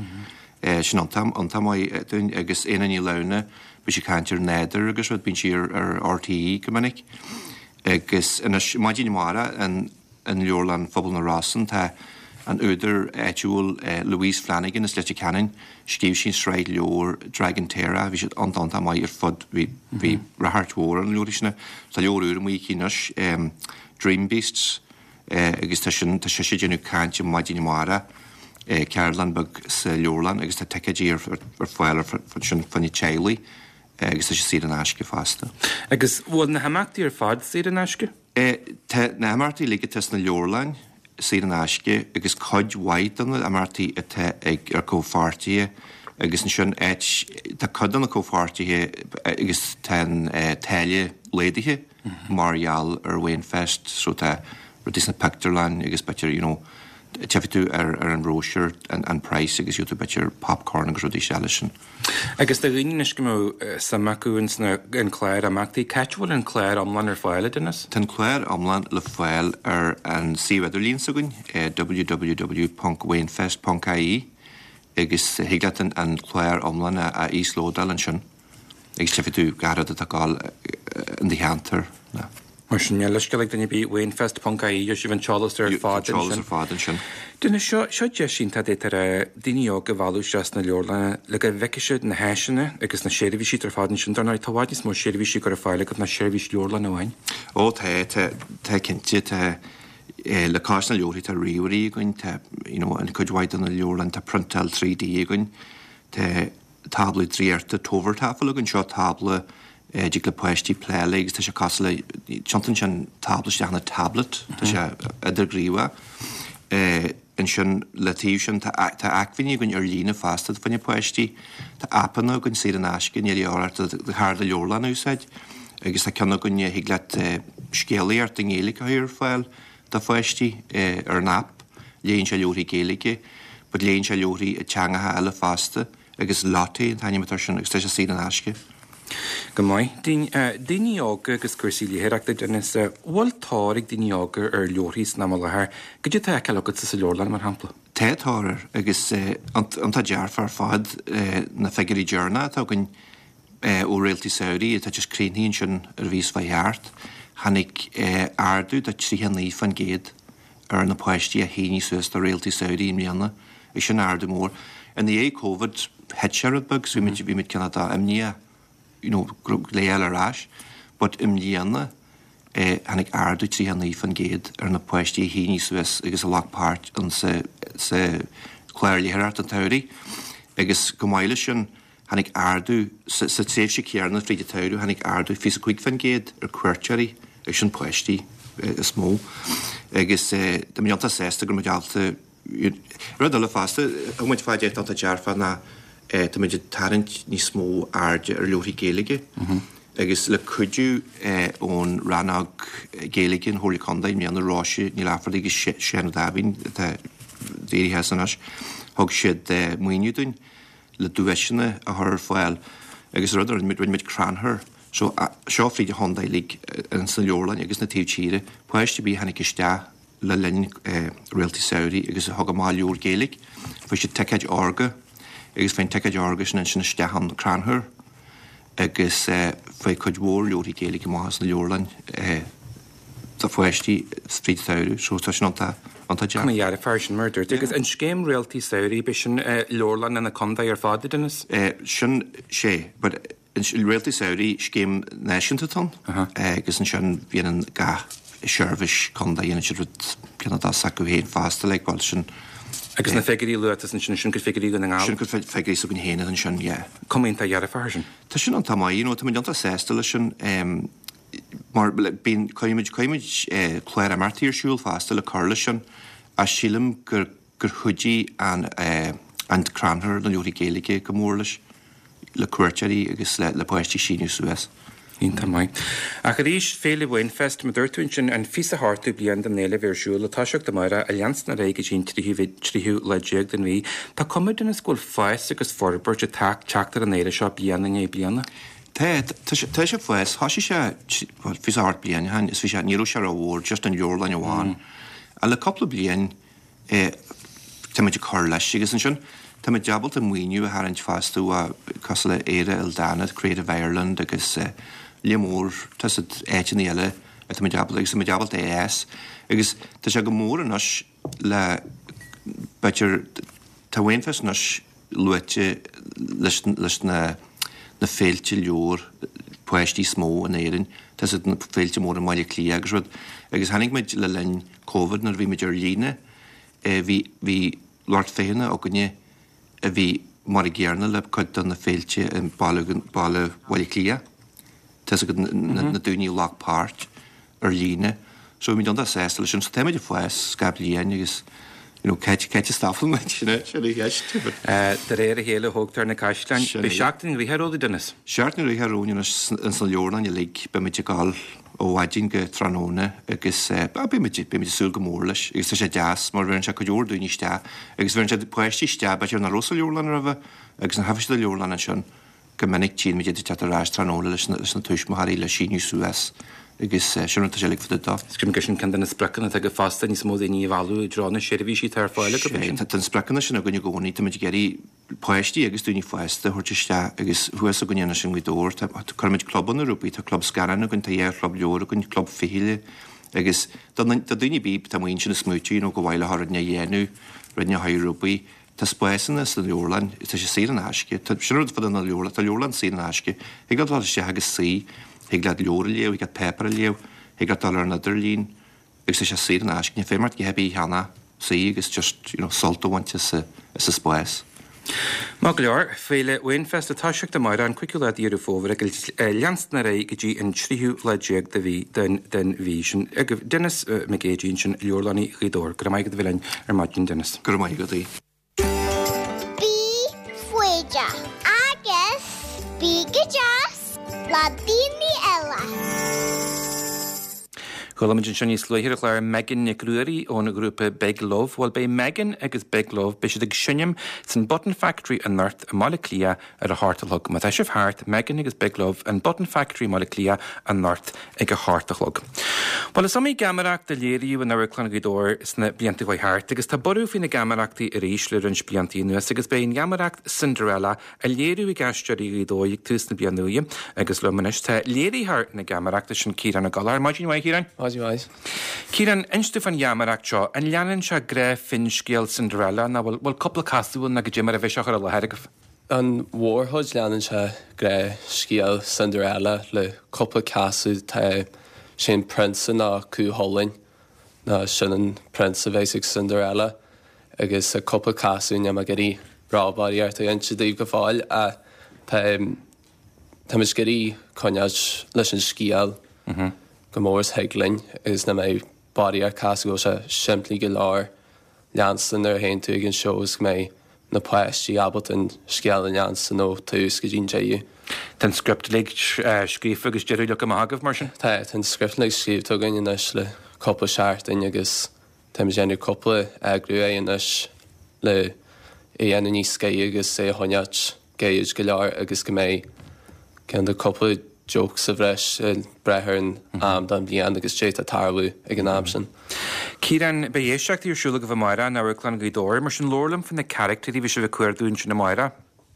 Sin iontach, iontach maith dúinn agus Éanna Ní Lamhna, beidh sí ag caint ar nádúr agus rud, bíonn sí ar ar RTÉ go minic. Agus anois, maidin amárach in in Leabharlann Phobal na Rosann tá an údar áitiúil Louise Flanagan as Leitir Ceanainn, scríobh sí an sraith leabhar Dragon Tara, bhí siad iontach iontach maith ar fud, bhí bhí ráchairt mhór ar na leabharthaí sin. Tá leabhar úr amuigh aici anois, Dream Beasts, agus tá sin, tá sise ag déanamh cainte maidin amárach, ceardlann beag sa leabharlann agus tá ticéidí ar ar fáil ar ansin fá choinne teaghlaigh agus tá sé saor in aisce fosta. Agus bhfuil na himeachtaí ar fad saor in aisce? Tá na himeachtaí uilig atá sna leabharlainn saor in aisce agus cuid mhaith de na himeachtaí atá ag ar comhpháirtithe agus ansin áit, tá cuid de na comhpháirtithe agus tá an táille laghdaithe mar gheall ar Wainfest so tá rudaí sna pictiúrlann agus b'fhéidir you know tchífidh tú ar ar an bhróisiúr an an price agus gheobhaidh tú b'fhéidir popcorn agus rudaí eile sin. Agus do dhaoine anois go mbeadh suim acu ins na an clár imeachtaí, cá háit a bhfuil an clár iomlán ar fáil, a Dennis? Tá an clár iomlán le fáil ar an suíomh idirlín s'againn, www ponc wainfest ponc ie, agus thig leat an an clár iomlán a a íoslódáil ansin agus tchífidh tú gach rud atá ag gabháil in do cheantar. Mar sin, níl leithscéal ag duine ar bith, Wainfest ponc ie, gheobhaidh sibh an t-eolas ar fad ansin. An t-eolas ar fad ansin. Dennis, seo, seo deis iontach d'fhéadfadh daoine óga a mhealladh isteach sna leabharlanna le go bhfeicfidh siad na háiseanna agus na seirbhísí atá ar fad ansin. Dar ndóigh, tá i bhfad níos mó seirbhísí á gcur ar fáil agaibh ná seirbhís leabharlainne amháin. Ó, tá, tá, tá cinnte, tá, le cois na leabharthaí tá ríomhairí againn, tá, you know, in cuid mhaith de na leabharlanna tá priontáil trí D againn, tá tábla draíochta Tovertafel againn, seo tábla a dtig le páistí plé léi agus tá sé cosúil le, tiontaíonn sé an tábla isteach ina tablet, tá sé idirghníomhach. Ansin le taobh sin tá tá acmhainní againn ar líne fosta fá choinne páistí, tá aipeanna againn saor in aisce, níl a dhíth ort do chárta leabharlainne a úsáid agus tá ceann againn a thig leat scéalaíocht i nGaeilge a chur ar fáil do pháistí ar an aip, léann sé leabharthaí Gaeilge but léann sé leabharthaí i dteangacha eile fosta. Agus Lottie an t-ainm atá air sin agus tá sé saor in aisce. Go maith. Daoine óga agus cúrsaí léitheoireachta, Dennis, bhfuil tóir ag daoine óga ar leabharthaí san am i láthair? Goidé atá á fheiceáil agatsa sa leabharlann, mar shampla? Tá tóir air agus iontach dearfach ar fad na figiúirí deireanacha atá againn ó Réaltaí Samhraidh atá just críochnaithe ansin ar an mhí seo chuaigh thart. Tháinig ardú de tríocha naoi faoin gcéad ar na páistí a shínigh suas do Réaltaí Samhraidh i mbliana. Agus sin ardú mór. I ndiaidh Covid thit sé rud beag so bhí muid bhí muid cineál de imníoch you know go raibh le fháil ar ais but i mbliana eh tháinig ardú tríocha naoi faoin gcéad ar na páistí a shínigh suas agus a ghlac páirt in sa sa chlár léitheoireachta an tsamhraidh agus chomh maith leis sin tháinig ardú sa sa tréimhse chéanna fríd an tsamhradh tháinig ardú fiche is a cúig faoin gcéad ar cuairteoirí agus sin páistí is mó agus eh tá muid iontach sásta go raibh muid ábalta Rud eile fosta, thug muid fá dear iontach dearfa ná tá muid ag tarraingt níos mó airde ar leabharthaí Gaeilge agus le cuidiú ón rannóg Gaeilge an Chomhairle Contae i mbliana, Róise Ní Laifeartaigh agus Seán Ó Dáimhín atá éirithe as anois, thug siad maoiniú dúinn le duaiseanna a chur ar fáil agus rud a rinne muid, rinne muid crannchur. So seo fríd an chontae uilig ins na leabharlainn agus na taobh tíre, páiste ar bith a tháinig isteach, le linn Réaltaí Samhraidh agus a thug amach leabhar Gaeilge. Fuair siad ticéid órga agus fuair an ticéid órga sin ansin isteach an crannchur agus fuair cuid mhór leabharthaí Gaeilge amach as na leabharlainn do pháistí fríd an tsamhradh so tá sin iontach iontach deas. Cuma dhearfach sin mar a dúirt tú. Agus an scéim Réaltaí Samhraidh, b'é sin leabharlanna na contae ar fad, a Dennis? Sin sé but Réaltaí Samhraidh, scéim náisiúnta atá ann agus ansin dhéanann gach seirbhís contae, dhéanann siad rud cineál dá s'acu féin fosta like bhuel sin. Agus na figiúirí a luaigh tusa ansin, sin cuid figiúirí Dhún na nGall? Sin cuid figiúirí s'againn féin ansin, yeah. Cuma iontach dhearfach ar sin. Tá sin iontach maith, you know, tá muid iontach sásta leis sin mar like bíonn, cuirimid, cuirimid clár imeachtaí ar siúl fosta le cur leis sin ach sílim gur, gur chuidigh an an crannchur na leabharthaí Gaeilge go mór leis. le cuairteoirí agus le páistí síniú suas. Iontach maith. Ach arís, Féile Wainfest, mar a dúirt tú ansin, an fiche is a hochtú bliain den fhéile a bheith ar siúl, ag toiseacht amárach, ag leanstan ar aghaidh go dtí an tríú lá déag den mhí. Tá cuma, Denis, go bhfuil fás agus forbairt ag teacht ar an fhéile seo bliain i ndiaidh bliana. Tá, tá sé ag fás. Thosaigh sé, bhuel, fiche is a hocht bliain ó shin, is bhí sé, ní raibh sé rómhór, just an leabharlann amháin. Ach le cúpla bliain, táimid ag cur leis agus ansin táimid ábalta maoiniú a tharraingt fosta ó cosúil le Éire Ildánach, Creative Ireland agus lear mór tá siad áiteanna eile atáimid ábalta agus táimid ábalta é a fhás agus tá sé go mór anois le b'fhéidir tá Wainfest anois luaite leis leis na na féilte leabhar páistí is mó in Éirinn tá siad na féilte móra i mBaile Átha Cliath agus rud agus tháinig muid le linn Covid nuair a bhí muid ar líne Bhí bhí lucht féachana againne a bhí mar a gcéanna le cuid de na féilte i mBaile Baile Bhaile Átha Cliath. Tá 'fhios agat na daoine a ghlac páirt ar líne. So bhí muid iontach sásta leis sin. So táimid ag fás gach bliain agus you know cá háit a stopfaidh muid? Sin é sin an cheist. De réir a chéile a thógtar na caisleáin. Sin é. Beidh seachtain ghnoitheach romhaibh, Denis. Seachtain ghnoitheach romhainn anois ins na leabharlanna uilig. Beimid ag gabháil ó mhaidin go tráthnóna agus beimid ag súil go mór leis agus tá sé deas mar bheireann sé cuid mhór daoine isteach agus bheireann sé páistí isteach b'fhéidir nach raibh sa leabharlann roimhe agus nuair a thagann siad sa leabharlann ansin go minic tchíonn muid iad ag teacht ar ais tráthnóna leis na leis na tuismitheoirí le síniú suas agus sin rud atá sé uilig fá dtaobh dó. Is cuimhin sin ceann de na spriocanna atá agaibh fosta níos mó daoine a mhealladh i dtreo na seirbhísí atá ar fáil agaibh ansin. Tá na spriocanna sin againn i gcónaí, táimid ag iarraidh páistí agus daoine fásta a thabhairt isteach agus thuas againne anois i nGaoth Dobhair tá cuirimid clubanna rompu, tá club scannán againn, tá dhá chlub leabhar againn, club fichille agus do daoine ar bith atá amuigh ansin ag smaoitiú you know go mhaith leo rud inteacht a dhéanamh, rud inteacht a chur rompu, tá spásanna sna leabharlann, tá sé saor in aisce, tá sin rud fá dtaobh na leabharlann, tá leabharlann saor in aisce, thig leat dul isteach agus suí, thig leat leabhar a léamh, thig leat páipéar a léamh, thig leat dul ar an idirlíon agus tá sé saor in aisce, níl feidhm ort a dhath ar bith a cheannach, suí agus just you know sult a bhaint as an spás. Maith go leor, Féile Wainfest ag toiseacht amárach an cúigiú lá de Dheireadh Fómhair agus ag leanstan ar aghaidh go dtí an tríú lá déag de mhí den den mhí sin. Agaibh Denis Mac Géidigh ansin, Leabharlannaí Ghaoth Dobhair. Go raibh maith agat a bheith linn ar maidin, Denis. Go raibh maith agat, Aodh. Bí foighdeach agus bí go deas le daoine eile. Chuala muid anseo níos luaithe ar an chlár Megan Nic Ruairí ón ghrúpa Big Love. Bhuel, beidh Megan agus Big Love, beidh siad ag seinm san Button Factory anocht i mBaile Átha Cliath ar a hocht a chlog. Má tá sibh thart, Megan agus Big Love, an Button Factory i mBaile Átha Cliath anocht ag a hocht a chlog. Bhuel, is iomaí geamaireacht a léiríodh in Amharclann Ghaoth Dobhair sna blianta a chuaigh thart agus tá borradh faoi na geamaireachtaí arís le roinnt blianta anuas agus beidh an gheamaireacht Cinderella á léiriú ag Aisteoirí Ghaoth Dobhair ag tús na bliana úire agus liom anois tá léiritheoir na geamaireachta sin Ciarán Ó Gallchóir. Maidin mhaith, Ciarán. Maidin mhaith. Ciarán, inis domh fán gheamaireacht seo. An leanann sé gnáth-fhinscéal Cinderella nó bhfuil bhfuil cúpla casadh ann nó goidé mar a bheidh sé á chur i láthair agaibh? An mhórchuid leanann sé gnáthscéal Cinderella le cúpla casadh. Tá sé an prionsa ná Cú Chulainn ná sin an prionsa a bheas ag Cinderella agus tá cúpla casadh níl mé ag iarraidh róbharraíocht a inse daoibh go fóill ach tá táimid ag iarraidh coinneáilt leis an scéal go mór is thig linn agus nach mbeidh barraíocht casadh go bhfuil sé simplí go leor leanstan nuair a théann tú ag an seó is go mbeidh na páistí ábalta an scéal a leanstan ó tús go dtí an deireadh. Tá an script uilig scríofa agus deireadh leagtha amach agaibh mar sin? Tá, tá an script uilig scríobhta againn anois le cúpla seachtain agus táimid ag déanamh cúpla eagrú air anois le é a dhéanamh níos gaire agus é a choinneáilt gairid go leor agus go mbeidh ceann de cúpla joke sa bhreis ag brath ar an am den bhliain agus cad é atá ag tarlú ag an am sin. Ciarán, beidh éisteachtaí ar siúl agaibh amárach in Amharclann Ghaoth Dobhair, mar sin labhair liom faoi na caractéirí a bheidh sibh ag cuardú ansin amárach.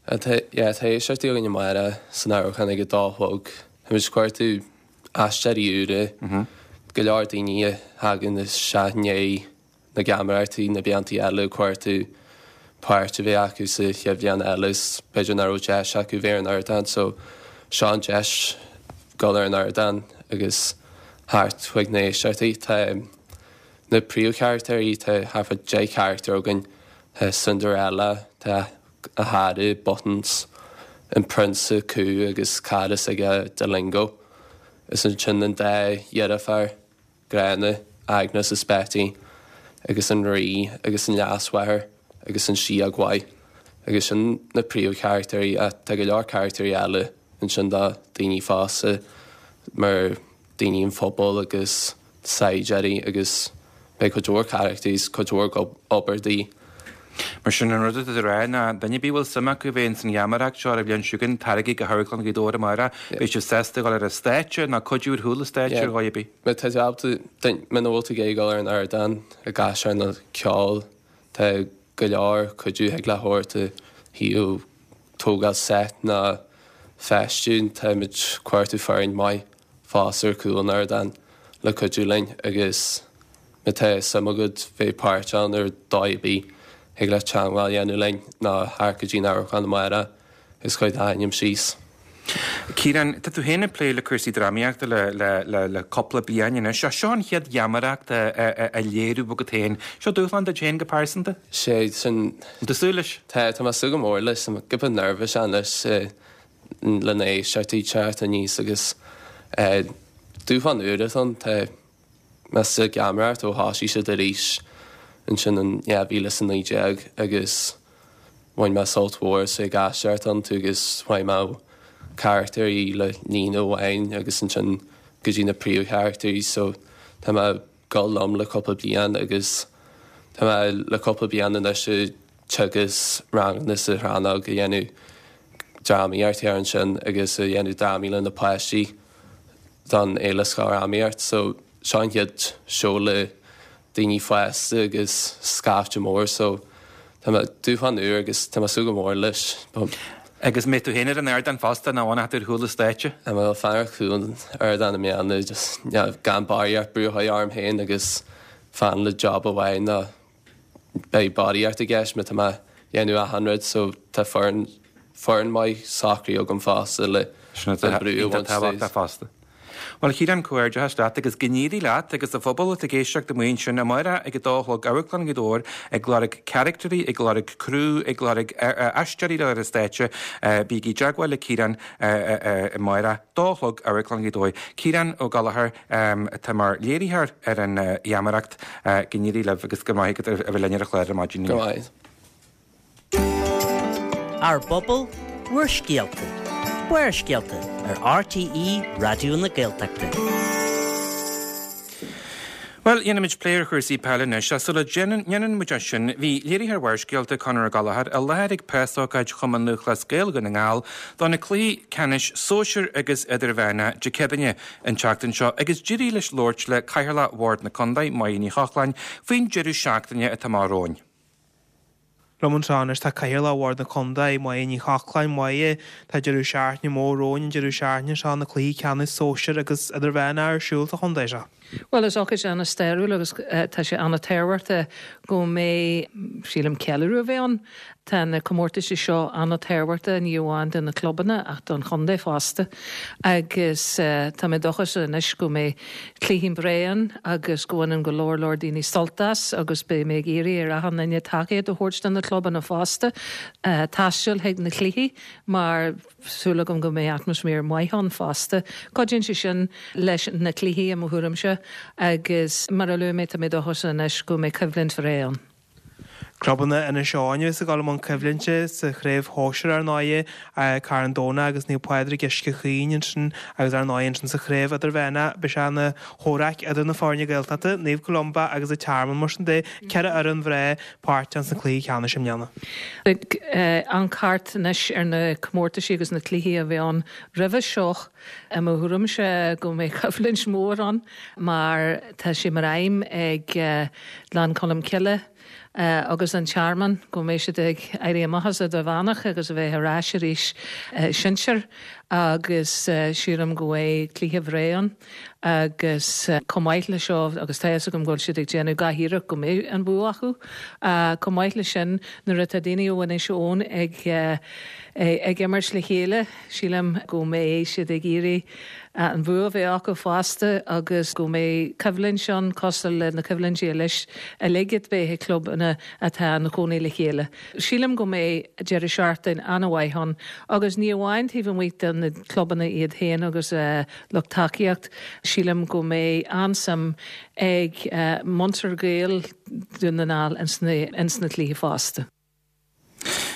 Tá, yeah, tá éisteachtaí againn amárach san amharclann ag a dó a chlog. Táimid ag cuartú aisteoirí úra, go leor daoine a thagann isteach i ndiaidh na geamaireachtaí na blianta eile ag cuartú páirt a bheith acu sa chéad bhliain eile is b'fhéidir nach raibh deis acu bheith ar an ardán so seo an deis dul ar an ardán agus theacht chuig na héisteachtaí. Tá na príomhcharachtairí, tá thart fá deich charachtar againn, tá Cinderella, tá a chara Buttons, an Prionsa Cú agus cara s'aige Delingo is ansin an dá dheirfiúr gránna, Agnes is Betty, agus an Rí agus an leasmháthair agus an síóg mhaith agus sin na príomhcharachtairí ach tá go leor carachtairí eile ansin do daoine fásta, mar daoine an phobail agus saighdiúirí agus beidh cuid mhór carachtaí is cuid mhór obair de dhíth. Mar sin an rud atá tú a rá ná duine ar bith a bhfuil suim acu bheith ins an gheamaireacht seo ar an bhliain seo chugainn, taraigí go hAmharclann Ghaoth Dobhair amárach, beidh sibh sásta dul ar an stáitse nó cuidiú ar chúl an stáitse ar dhóigh ar bith. Má tá tú ábalta, muna bhfuil tú ag dul ar an ardán ag aisteoireacht nó ceol, tá go leor cuidiú thig leat a thabhairt ó thaobh tógáil set ná feistiú, táimid ag cuartú foireann maith fosta ar chúl an ardáin le cuidiú linn agus má tá suim agat bheith páirteach ann ar dóigh ar bith, thig leat teagmháil a dhéanamh linn ná theacht go dtí an amharclann amárach agus cuir d'ainm síos. Ciarán, tá tú féin ag plé le cúrsaí drámaíochta le le le le cúpla bliain anois. Seo an chéad gheamaireacht a a a léiriú agat féin. Seo dúshlán duit féin go pearsanta? Sé sin. An tú súil leis? Tá, tá mé ag súil go mór leis. Tá mé giota nervous anois le na héisteoirí teacht aníos agus dúshlán úr atá ann. Tá mé sa gheamaireacht ó thosaigh siad arís ansin in dhá mhíle is a naoi déag agus bhain mé sult mhór as ag aisteoireacht iontu agus chuaigh mé ó charactairí le líne amháin agus ansin go dtí na príomhcharactairí so tá mé ag dul liom le cúpla bliain agus tá mé le cúpla bliain anois ag teagasc ranganna sa rannóg a dhéanamh drámaíocht thiar ansin agus a dhéanamh drámaí le na páistí don Fhéile Scoildrámaíocht so seo an chéad seó le daoine fásta agus scaifte mór so tá mé dúshlán úr agus tá mé ag súil go mór leis. Agus mbeidh tú féin ar an ardán fosta nó an tú ar chúl an stáitse? Tá mé ag fanacht ar chúl an ardáin i mbliana just gan barraíocht brú a chur orm féin agus fan le job amháin nó beidh barraíocht i gceist má tá mé ag déanamh achan rud so tá foireann foireann maith socraithe agam fosta le Sin an brú a bhaint tábhachtach fosta. Bhuel, a Chiaráin, comhghairdeachas leat agus go n-éirí leat agus a phobal atá ag éisteacht amuigh ansin amárach ag a dó a chlog Amharclann Ghaoth Dobhair ag lorg caractairí, ag lorg criú, ag lorg aisteoirí le ar an stáitse. Bígí i dteagmháil le Ciarán amárach, dó a chlog, Amharclann Ghaoth Dobhair. Ciarán Ó Gallchóir atá mar léiritheoir ar an gheamaireacht. Go n-éirí libh agus go maith agat a bheith linn ar an chlár ar maidin inniu. Go maith. Ár bpobal, bhur scéalta. Barrscéalta ar RTÉ Raidió na Gaeltachta. Bhuel, dhéanfaimid plé ar chúrsaí peile anois, ach sula ndéanann muid é sin, bhí léiritheoir Bharrscéalta, Conor Ó Gallchóir, i láthair ag preasócáid Chumann Lúthchleas Gael Dhún na nGall do na cluichí ceannais sóisir agus idirmheánach Dé Céadaoine an tseachtain seo agus d'éirigh leis labhairt le Cathaoirleach Bhord na Contae, Máire Ní Chochláin, faoin deireadh seachtaine atá amach romhainn. Liom anseo anois tá Cathaoirleach Bhord na Contae, Máire Ní Chochláin. Máire, tá deireadh seachtaine mór romhainn an deireadh seachtaine seo, na cluichí ceannais sóisir agus idirmheánach ar siúl sa chontae seo. Bhuel, is ócáid an-stairiúil agus tá sé an-tábhachtach go mbeidh, sílim, ceiliúradh a bheith ann. Tá na comórtaisí seo an-tábhachtach, ní amháin do na clubanna ach don chontae fosta. Agus tá mé dóchasach anois go mbeidh cluichí breá ann agus go bhaineann go leor leor daoine sult as agus beidh mé ag iarraidh ar achan duine tacaíocht a thabhairt do na clubanna fosta, taisteal chuig na cluichí mar súil agam go mbeidh atmaisféar maith ann fosta. Cuidíonn sé sin leis na cluichí i mo thuairimse agus mar a luaigh mé tá mé dóchasach anois go mbeidh coimhlint bhreá ann. Clubanna Inis Eoghain a bheas ag dul i mbun coimhlinte sa chraobh shóisir ar ndóigh, Carn Domhnach agus Naomh Pádraig Uisce Chaoin ansin agus ar ndóigh ansin sa chraobh idirmheánach beidh sé ina chomhrac idir na foirne Gaeltachta, Naomh Columba agus an Tearmann mar sin de, ceithre fhoireann bhreá páirteach sna cluichí ceannais i mbliana. Ag amharc thart anois ar na comórtaisí agus na cluichí a bhí ann roimhe seo, i mo thuairimse go mbeidh coimhlint mhór ann mar tá sé mar aidhm ag Gleann Cholm Cille, agus an Tearmann, go mbeidh siad ag éirí amach as Idirmheánach agus a bheith ar ais arís sinsir agus sílim go mbeidh cluiche bhreá ann agus chomh maith le seo agus tá fhios agam go bhfuil siad ag déanamh gach iarracht go mbeidh an bua acu. Chomh maith le sin nuair atá daoine ó Inis Eoghain ag ag imirt le chéile sílim go mbeidh siad ag iarraidh an bua a bheith acu fosta agus go mbeidh coimhlint ann cosúil le na coimhlintí uilig a bheith ag clubanna atá ina gcónaí le chéile. Sílim go mbeidh deireadh seachtaine an-mhaith ann agus ní amháin taobh amuigh de na clubanna iad féin agus lucht tacaíocht, sílim go mbeidh an-suim ag muintir Gael Dún na nGall ins na cluichí fosta.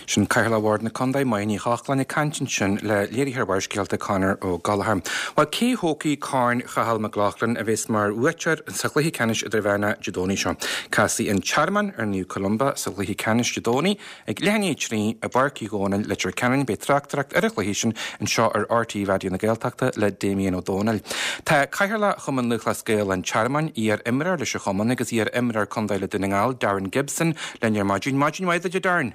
Sin Cathaoirleach Bhord na Condae, Máire Ní Chochláin ag caint ansin le léiritheoir Bharrscéalta Conor Ó Gallchóir. Bhuel cé thógfaidh Corn Chathal McLoughlin a bheas mar bhuaiteoir sa chluiche ceannais idirmheánach Dé Domhnaigh seo? Casfaidh an Tearmann ar Naomh Columba sa chluiche ceannais Dé Domhnaigh ag leath i ndiaidh a trí i bPáirc Uí Dhónaill, Leitir Ceanainn. Beidh tráchtaireacht ar an chluiche sin anseo ar RTÉ Raidió na Gaeltachta le Damien Ó Dónaill. Tá Cathaoirleach Chumann Lúthchleas Gael an Tearmainn, iar-imreoir leis an chumann agus iar-imreoir contae le Dún na nGall, Darren Gibson, linn ar maidin. Maidin mhaith duit a Darren.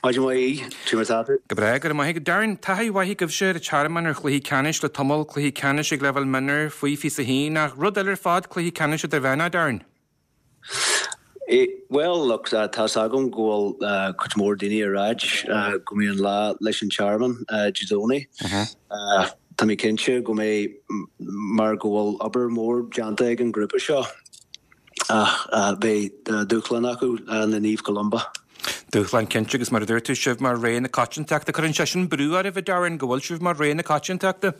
Maidin mhaith, cad é mar atá tú. Go breá, go raibh maith agat. Darren, taithí mhaith agaibhse ar an Tearmann ar chluichí ceannais le tamall, cluichí ceannais ag leibhéal mionúir faoi fiche a haon, ach rud eile ar fad cluichí ceannais idirmheánach, Darren. Bhuel, look, tá's agam go bhfuil cuid mhór daoine ag ráit go mbeidh an lá leis an Tearmann Dé Domhnaigh. Tá mé cinnte go mbeidh mar go bhfuil obair mhór déanta ag an grúpa seo ach beidh dúshlán acu le Naomh Columba. Dúshlán cinnte agus mar a dúirt tú, sibh mar rogha na coitiantachta. Cuireann sé sin brú oraibh, a Darren, go bhfuil sibh mar rogha na coitiantachta?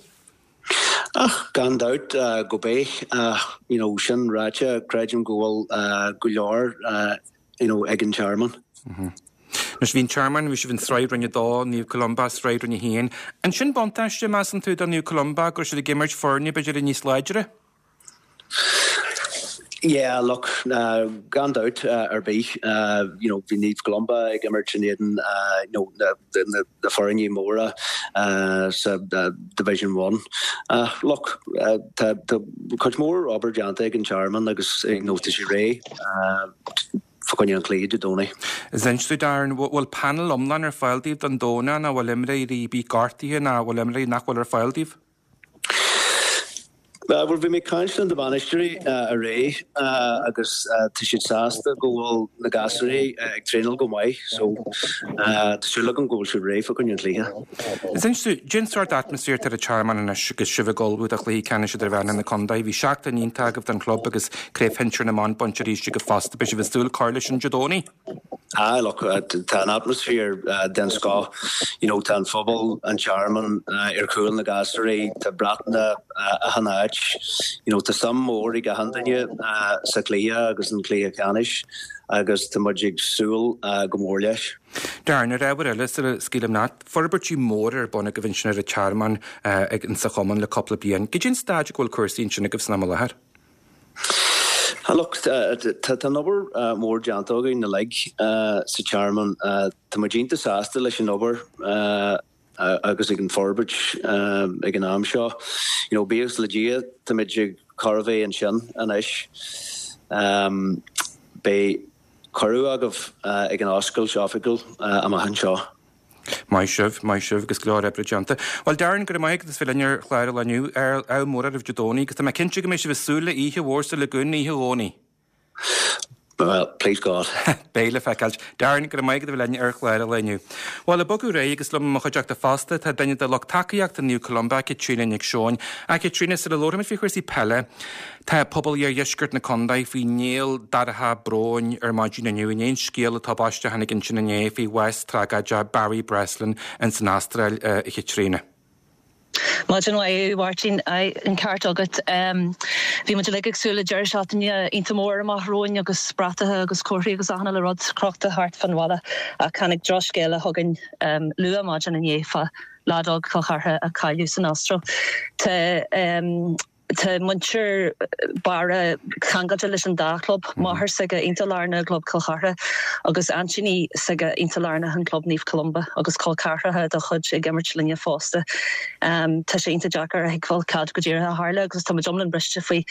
Ach gan dabht go mbeidh, ach you know sin ráite, creidim go bhfuil go leor you know ag an Tearmann. Anois bhí an Tearmann, bhí sibh in Sraith Roinn a Dó, Naomh Columba, Sraith Roinn a hAon. An sin buntáiste, measann tú, do Naomh Columba go raibh siad ag imirt foirne b'fhéidir níos láidre? Yeah, look, gan dabht ar bith, you know, bhí Naomh Columba ag imirt in éadan you know, na, na, na foirne móra sa Division One. Look, tá, tá cuid mhór obair déanta ag an Tearmann agus you know, tá sé réidh fá choinne an chluiche Dé Domhnaigh. Is inis domh Darren, bhfuil panel iomlán ar fáil daoibh don Domhnach nó bhfuil imreoirí ar bith gortaithe nó bhfuil imreoirí nach bhfuil ar fáil daoibh? Bhuel, bhí mé ag caint le na bainisteoirí aréir agus tá siad sásta go bhfuil na gasúirí ag traenáil go maith so tá súil agam go bhfuil siad réidh fá choinne an chluiche. Is inis domh, cén sórt atmaisféar atá ar an Tearmann anois agus sibh ag ullmhú do chluiche ceannais idirmheánach na contae. Bhí seachtain iontach agaibh don chlub agus craobh shinsir na mban bainte arís agaibh fosta. Beidh sibh ag súil cur leis sin Dé Domhnaigh? Ah, look, tá an atmaisféar den scoth. You know, tá an phobal, an Tearmann ar chúl na gasúirí, tá bratna achan áit. You know, tá suim mór ag achan duine sa chluiche agus an cluiche ceannais agus tá muid ag súil go mór leis. Darren, ar ábhar eile sula scaoilim leat, forbairtí móra ar bun agaibh ansin ar an Tearmann ag insa chumann le cúpla bliain. Cad é an staid go bhfuil cúrsaí ansin agaibh san am i láthair? Look, tá an obair mhór déanta againn uilig sa Tearmann. Tá muid iontach sásta leis an obair agus ag an forbairt ag an am seo. You know, buíochas le Dia, tá muid ag chóir a bheith ansin anois. Beidh cuireadh agaibh ag an oscailt oifigiúil amach anseo. Maith sibh, maith sibh agus go leor oibre déanta. Bhuel Darren, go raibh maith agat as bheith linn ar chlár an lae inniu. Ádh mór oraibh Dé Domhnaigh agus tá mé cinnte go mbeidh sibh ag súil le oíche mhór sa Lagoon oíche Dhomhnaigh. Well, please God. Beidh le feiceáil. Darren, go raibh maith agat a bheith linn ar chlár an lae inniu. Bhuel, ag bogadh ar aghaidh agus liom i mo chuideachta fosta tá duine de lucht tacaíochta Naomh Columba, Caitríona Nic Seoin. A Chaitríona, sula labhróimid faoi chúrsaí peile, tá pobal iardheisceart na contae faoi néal dorcha bróin ar maidin inniu i ndiaidh an scéal tubaisteach a tháinig ansin inné faoi bhás tragóideach Barry Breslin ins an Astráil, a Chaitríona. Maidin mhaith, a Mháirtín. Aye, an ceart agat. Bhí muid uilig ag súil le deireadh seachtaine iontach mór amach romhainn agus bratacha agus comharthaí agus achan uile rud crochta thart fán bhaile ach tháinig drochscéala chugainn luath maidin inné fá leaid óg Chill Chartha a cailleadh san Astráil. Tá Tá muintir Barra ceangailte leis an dá chlub, máthair s'aige iontach lárnach i gclub Chill Chartha agus aintíní s'aige iontach lárnach in club Naomh Columba agus col ceathracha dá chuid ag imirt linne fosta. Tá sé iontach deacair a thuigbheáil cad go díreach a tharla agus tá muid iomlán briste faoi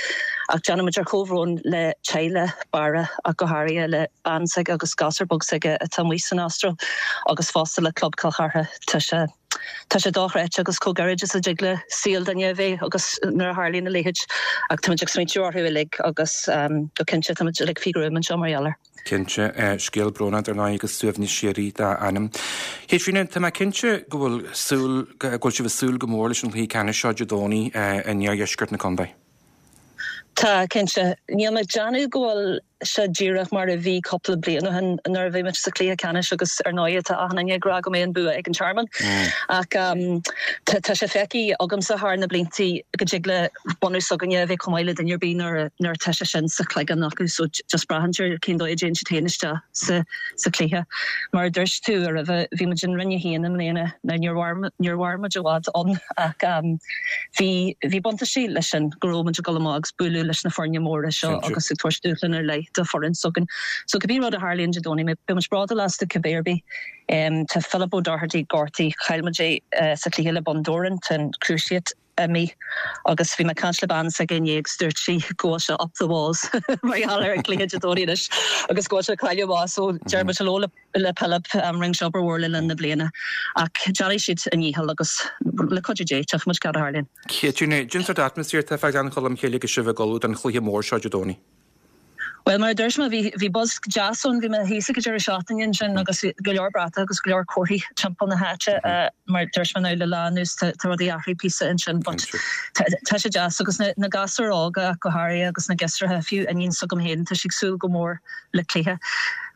ach déanaimid ár chomhbhrón le teaghlach Barra ach go háirithe le bean s'aige agus gasúr beag s'aige atá amuigh san Astráil agus fosta le club Chill Chartha. Tá sé. Tá sé dochreidte agus chomh gairid is a dtig le saol duine a bheith agus nuair a tharlaíonn a leithéid ach táimid ag smaointiú orthu uilig agus go cinnte táimid uilig faoi ghruaim anseo mar gheall air. Cinnte, scéal brónach dar ndóigh agus suaimhneas síoraí dá anam. Chaitríona, tá mé cinnte go bhfuil súil, go bhfuil sibh ag súil go mór leis an chluiche ceannais seo Dé Domhnaigh in iardheisceart na contae. Tá, cinnte. Níl mé ag déanamh go bhfuil sé díreach mar a bhí cúpla bliain ó shin nuair a bhí muid sa chluiche ceannais agus ar ndóigh tá achan duine ag rá go mbeidh an bua ag an Tearmann. Ach tá sé feicthe agamsa thar na blianta go dtig le bunús s'againne a bheith chomh maith le duine ar bith nuair nuair atá sé sin sa chloigeann acu so just braitheann sé ar cén dóigh a dtéann siad féin isteach sa sa chluiche. Mar a dúirt tú roimhe bhí muid in Roinn a haon i mbliana now níor mhair níor mhair muid i bhfad ann ach bhí bhí buntáistí leis sin go raibh muid ag dul amach agus bualadh leis na foirne móra seo agus ag tabhairt dúshlán ar leith do foireann s'againn. So cibé rud a tharlaíonn Dé Domhnaigh, beidh muid bródúil astu cibé ar bith. Tá Philip O'Doherty gortaithe, chaill muid é sa chluiche le Bun Dobhráin, tá an cruciate imithe agus bhí mé ag caint le bean s'aige inné agus dúirt sí go bhfuil sé up the walls mar gheall ar an gcluiche Dé Domhnaigh anois agus go bhfuil sé ag cailleadh amach so deir muid hello le le Philip, rinne sé obair mhór le linn na bliana ach déanfaidh siad a ndícheall agus le cuidiú Dé tchífidh muid cad a tharlaíonn. Caitríona, cén sórt atmaisféar atá fá Ghleann Cholm Cille agus sibh ag ullmhú don chluiche mór seo Dé Domhnaigh? Bhuel, mar a dúirt mé, bhí bhí buzz deas ann, bhí mé thíos ag an deireadh seachtaine ansin agus bhí go leor bratach agus go leor comharthaí timpeall na háite. Mar a dúirt mé now le lá anuas tá tá rudaí athraithe píosa ansin but tá tá sé deas agus na na gasúir óga ach go háirithe agus na giosracha, fiú iníon s'agam féin, tá sí ag súil go mór le cluiche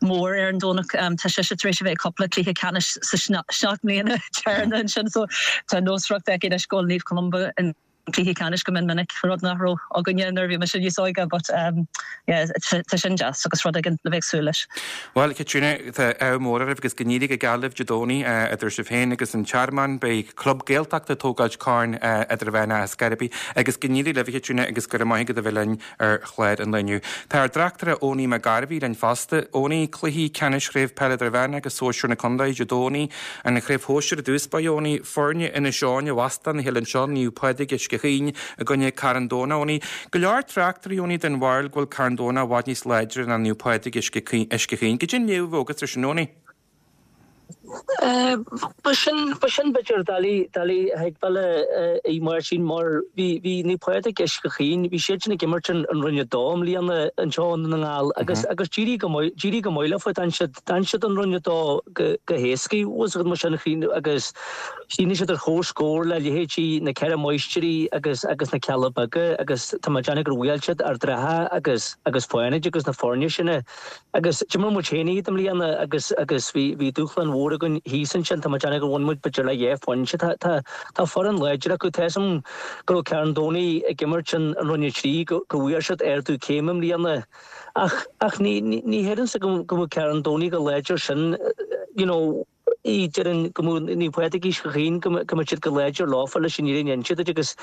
mór ar an Domhnach. Tá sise tar éis a bheith ag cúpla cluiche ceannais sa seacht mbliana deireanach ansin so tá nósmhaireacht aici anois go bhfuil Naomh Columba in cluiche ceannais go mion minic, rud nach raibh againne nuair a bhí mise níos óige but um yeah tá sin deas agus rud éigin le bheith ag súil leis. Bhuel, Caitríona, tá ádh mór oraibh agus go n-éirí go geal libh Dé Domhnaigh idir sibh féin agus an Tearmann. Beidh club Gaeltachta ag tógáilt Corn Idirmheánach ar scor ar bith agus go n-éirí libh, a Chaitríona, agus go raibh maith agat a bheith linn ar chlár an lae inniu. Tá ár dtráchtaire Owenie McGarvey linn fosta. Owenie, cluichí ceannais Chraobh Peile Idirmheánach agus Sóisir na Contae Dé Domhnaigh, an Chraobh Shóisir i dtús báire, Owenie, foirne Inis Eoghain a óstán a chéile anseo, Naomh Pádraig Uisce Chaoin i gcoinne Carn Domhnach, Owenie. Go leor tráchtairí, Owenie, den bharúil go bhfuil Carn Domhnach i bhfad níos láidre ná Naomh Pádraig Uisce Chaoin. Goidé an léamh agat ar sin, Owenie? Ba sin ba sin b'fhéidir doiligh doiligh a thuigbheáil a Mháirtín mar bhí bhí Naomh Pádraig Uisce Chaoin, bhí siad sin ag imirt an an Roinn a Dó i mbliana anseo i nDún na nGall agus agus d'éirigh go maith d'éirigh go maith leofa d'fhan siad d'fhan siad an Roinn a Dó go go héascaí bhfuil mar sin Chaoin agus chríochnaigh siad ar chomhscór le leithéidí na Ceithre Máistrí agus agus na Cealla Beaga agus tá mé ag déanamh gur bhuail siad Ard an Rátha agus agus Fánaid agus na foirne sin Agus d'imir muid féin iad i mbliana agus agus bhí bhí dúshlán mhór againn thíos ansin. Tá mé ag déanamh gur bhain muid b'fhéidir le dhá phointe. Tá tá tá foireann láidir acu. Tá 'fhios a'm go raibh Carn Domhnaigh ag imirt an an Roinn a Trí go go bhfuair siad ardú céime i mbliana. Ach ach ní ní ní shílimse go go mbeadh Carn Domhnaigh chomh láidir sin you know í déarfainn go mbeadh Naomh Pádraig Uisce Chaoin go mbeadh siad chomh láidir leofa leis an fhírinne a inse duit agus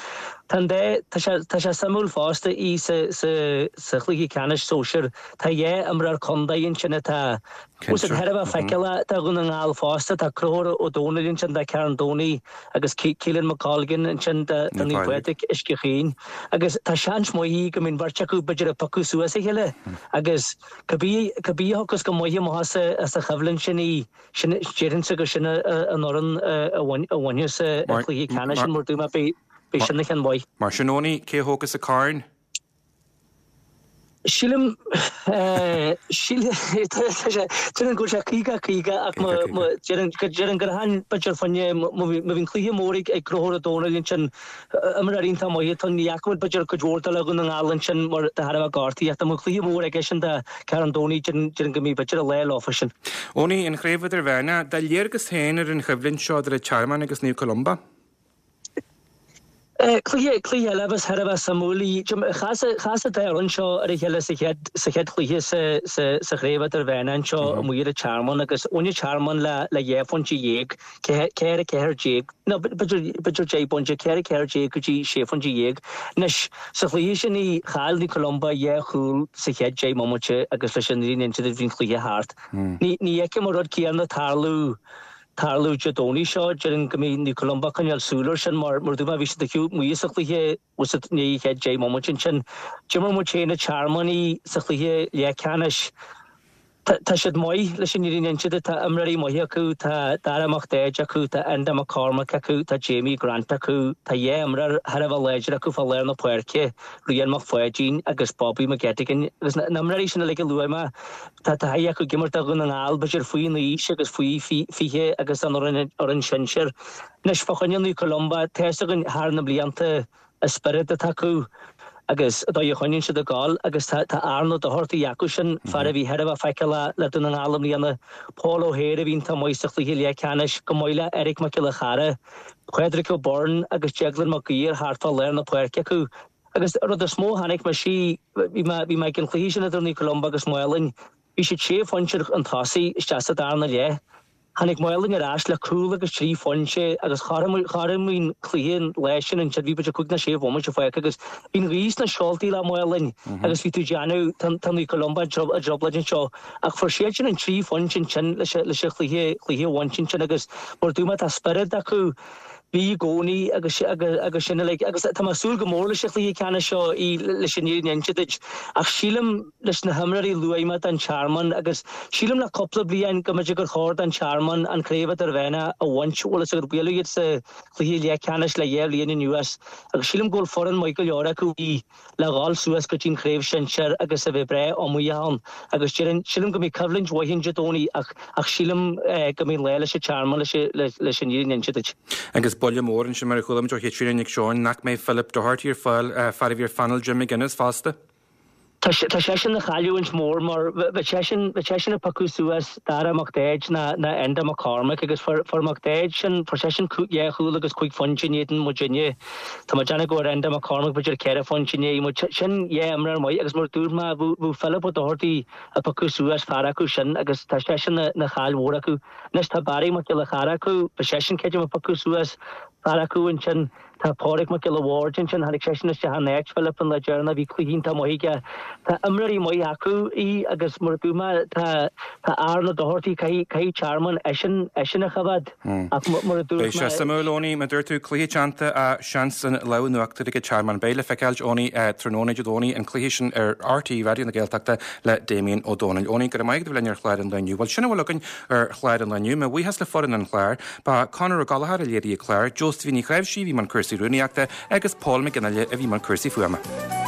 tá an dá tá sé tá sé suimiúil fosta í sa sa sa chluiche ceannais sóisir tá dhá imreoir contae ansin atá bhfuil siad thar a bheith feiceálach do Dhún na nGall fosta tá Conchúr Ó Domhnaill ansin do Charn Domhnaigh agus Keelan McColgan ansin do do Naomh Pádraig Uisce Chaoin agus tá seans maith í go mbeidh an bheirt acu b'fhéidir ag piocadh suas a chéile agus cibé cibé a thiocfas go maith amach as as an choimhlint sin í Sin, déarfainnse gur sin an fhoireann a bhainfeas an cluiche ceannais sin mar dúirt mé, beidh sin ina cheann mhaith. Mar sin, Owenie, cé a thógfas an corn? Sílim, sílim, déarfainn go bhfuil sé caoga caoga ach déarfainn gur thaithin b'fhéidir fá choinne, má bhíonn cluiche mór ag Conchúr Ó Domhnaill ansin, imreoir iontach maith atá ann, ní fhaca muid b'fhéidir cuid mhór de le Dhún na nGall ansin mar de thairbhe gortaithe ach dá mbeadh cluiche mór aige sin do Carn Domhnaigh, déarfainn go mbeidh b'fhéidir an lá leofa sin. Owenie, an Chraobh Idirmheánach, do léargas féin ar an choimhlint seo idir an Tearmann agus Naomh Columba? Cluiche, cluiche eile a bheas thar a bheith suimiúil í. Chas, chas an dá fhoireann seo ar a chéile sa chéad, sa chéad chluiche sa, sa, sa Chraobh Idirmheánach anseo amuigh ar an Tearmann agus bhain an Tearmann le, le dhá phointe dhéag, ceithre, ceathair déag, nó b'fhéidir, b'fhéidir deich bpointe, ceithre, ceathair déag go dtí sé phointe dhéag. Anois, sa chluiche sin í, chaill Naomh Columba dhá chúl sa chéad deich mbomaite agus leis an fhírinne a inse duit bhí an cluiche thart. Ní, ní fheicim an rud céanna tarlú, tarlú Dé Domhnaigh seo. Déarfainn go mbeidh Naomh Columba ag coinneáil súil air sin mar, mar a dúirt mé, bhí siad taobh amuigh sa chluiche i ndiaidh an chéad deich mbomaite ansin. D'imir muid féin an Tearmann í sa chluiche leathcheannais. Tá siad maith, leis an fhírinne a inse duit. Tá imreoirí maithe acu, tá Dara Mac Daid acu, tá Enda McCormack acu, tá Jamie Grant acu, tá dhá imreoir thar a bheith láidir acu fá lár na páirce, Rian Mac Pháidín agus Bobby McGettigan. Agus na himreoirí sin uilig a luaigh mé, tá taithí acu ag imirt do Dhún na nGall, b'fhéidir faoin aois agus faoi fiche agus an fhoireann sinsir. Anois, fá choinne Naomh Columba, tá fhios againn thar na blianta, an spiorad atá acu. agus an dóigh a choinníonn siad ag gabháil agus tá tá Aaron Ó Dochartaigh acu sin, fear a bhí thar a bheith feiceálach le Dún na nGall i mbliana, Paul O'Hare a bhí iontach maith sa chluiche leathcheannais, chomh maith le Eric Mac Giolla Chara, Pádraig O'Byrne agus Declan Mac Uidhir thart fá lár na páirce acu. Agus an rud is mó a chonaic mise, bhí mé bhí mé ag an chluiche sin idir Naomh Columba agus Maolainn, bhí siad sé phointe chun tosaigh isteach sa darna leath. Tháinig Maolainn ar ais le cúl agus trí phointe agus chothromaigh an cluiche an lá sin ansin, bhí b'fhéidir cúig nó sé bhomaite fágtha agus bhí an ghaoth sna seoltaí le Maolainn agus bhí tú ag déanamh, tá Naomh Columba i dtrioblóid anseo ach fuair siadsan an trí phointe ansin leis an chluiche a bhaint ansin agus mar a dúirt mé tá spiorad acu. Bhí i gcónaí agus agus sin uilig agus tá mé ag súil go mór leis an chluiche ceannais seo leis an fhírinne a inse duit ach sílim leis na himreoirí a luaigh mé don Tearmann agus sílim le cúpla bliain go mb'fhéidir gur chóir don Tearmann an Craobh Idirmheánach a bhaint bhfuil fhios agat buaileadh iad sa chluiche leathcheannais le dhá bhliain anuas agus sílim go bhfuil foireann maith go leor acu le dhul suas go dtí an chraobh shinsir agus a bheith breá iomaíoch ann agus déarfainn, sílim go mbeidh coimhlint mhaith ann Dé Domhnaigh ach ach sílim go mbeidh an lá leis an Tearmann leis leis an fhírinne a inse duit. Agus buille mór ansin mar a chuala muid ó Chaitríona Nic Seoin nach mbeidh Philip Doherty ar fáil, fear a bhí ar phainéal Jim McGuinness fosta. Tá tá seisean ina chailliúint mhór mar bheadh seisean bheadh seisean ag piocadh suas Dara Mac Daid ná ná Enda McCormack agus fuair fuair Mac Daid sin fuair seisean dhá chúl agus cúig phointe in éadan muidinne. Tá mé ag déanamh go bhfuair Enda McCormack b'fhéidir ceithre phointe in éadan muid. Sin dhá imreoir maith agus mar a dúirt mé bheadh bheadh Philip O'Doherty ag piocadh suas fear acu sin agus tá seisean ina ina chaill mhór acu. Anois tá Barry Mac Giolla Chara acu, beidh seisean creidim ag piocadh suas fear acu ansin. Tá Pádraig Mac Giolla Bhaird ansin, tháinig seisean isteach in áit Philip an lá deireanach, bhí cluiche iontach maith aige. Tá imreoirí maith acu í agus mar a dúirt mé, tá tá Aaron O'Doherty, caithfidh caithfidh Tearmann eisean eisean a choimhéad ach mar a dúirt Beidh sé mé, suimiúil, Eoiní, mar a dúirt tú, cluiche teannta ach seans an lámh in uachtar ag Tearmann. Beidh le feiceáilt, Eoiní, tráthnóna Dé Domhnaigh, an cluiche sin ar RTÉ Raidió na Gaeltachta le Damien Ó Dónaill. Eoiní, go raibh maith agat a bheith linn ar chlár an lae inniu. Bhuel, sin a bhfuil againn ar chlár an lae inniu. Mo bhuíochas le foireann an chláir. Ba Conor Ó Gallchóir a léirigh an clár, Josephine Ní Chnáimhsí a bhí i mbun cúrsaí rúnaíochta agus Paul Mac Fhionnghaile a bhí i mbun cúrsaí fuaime.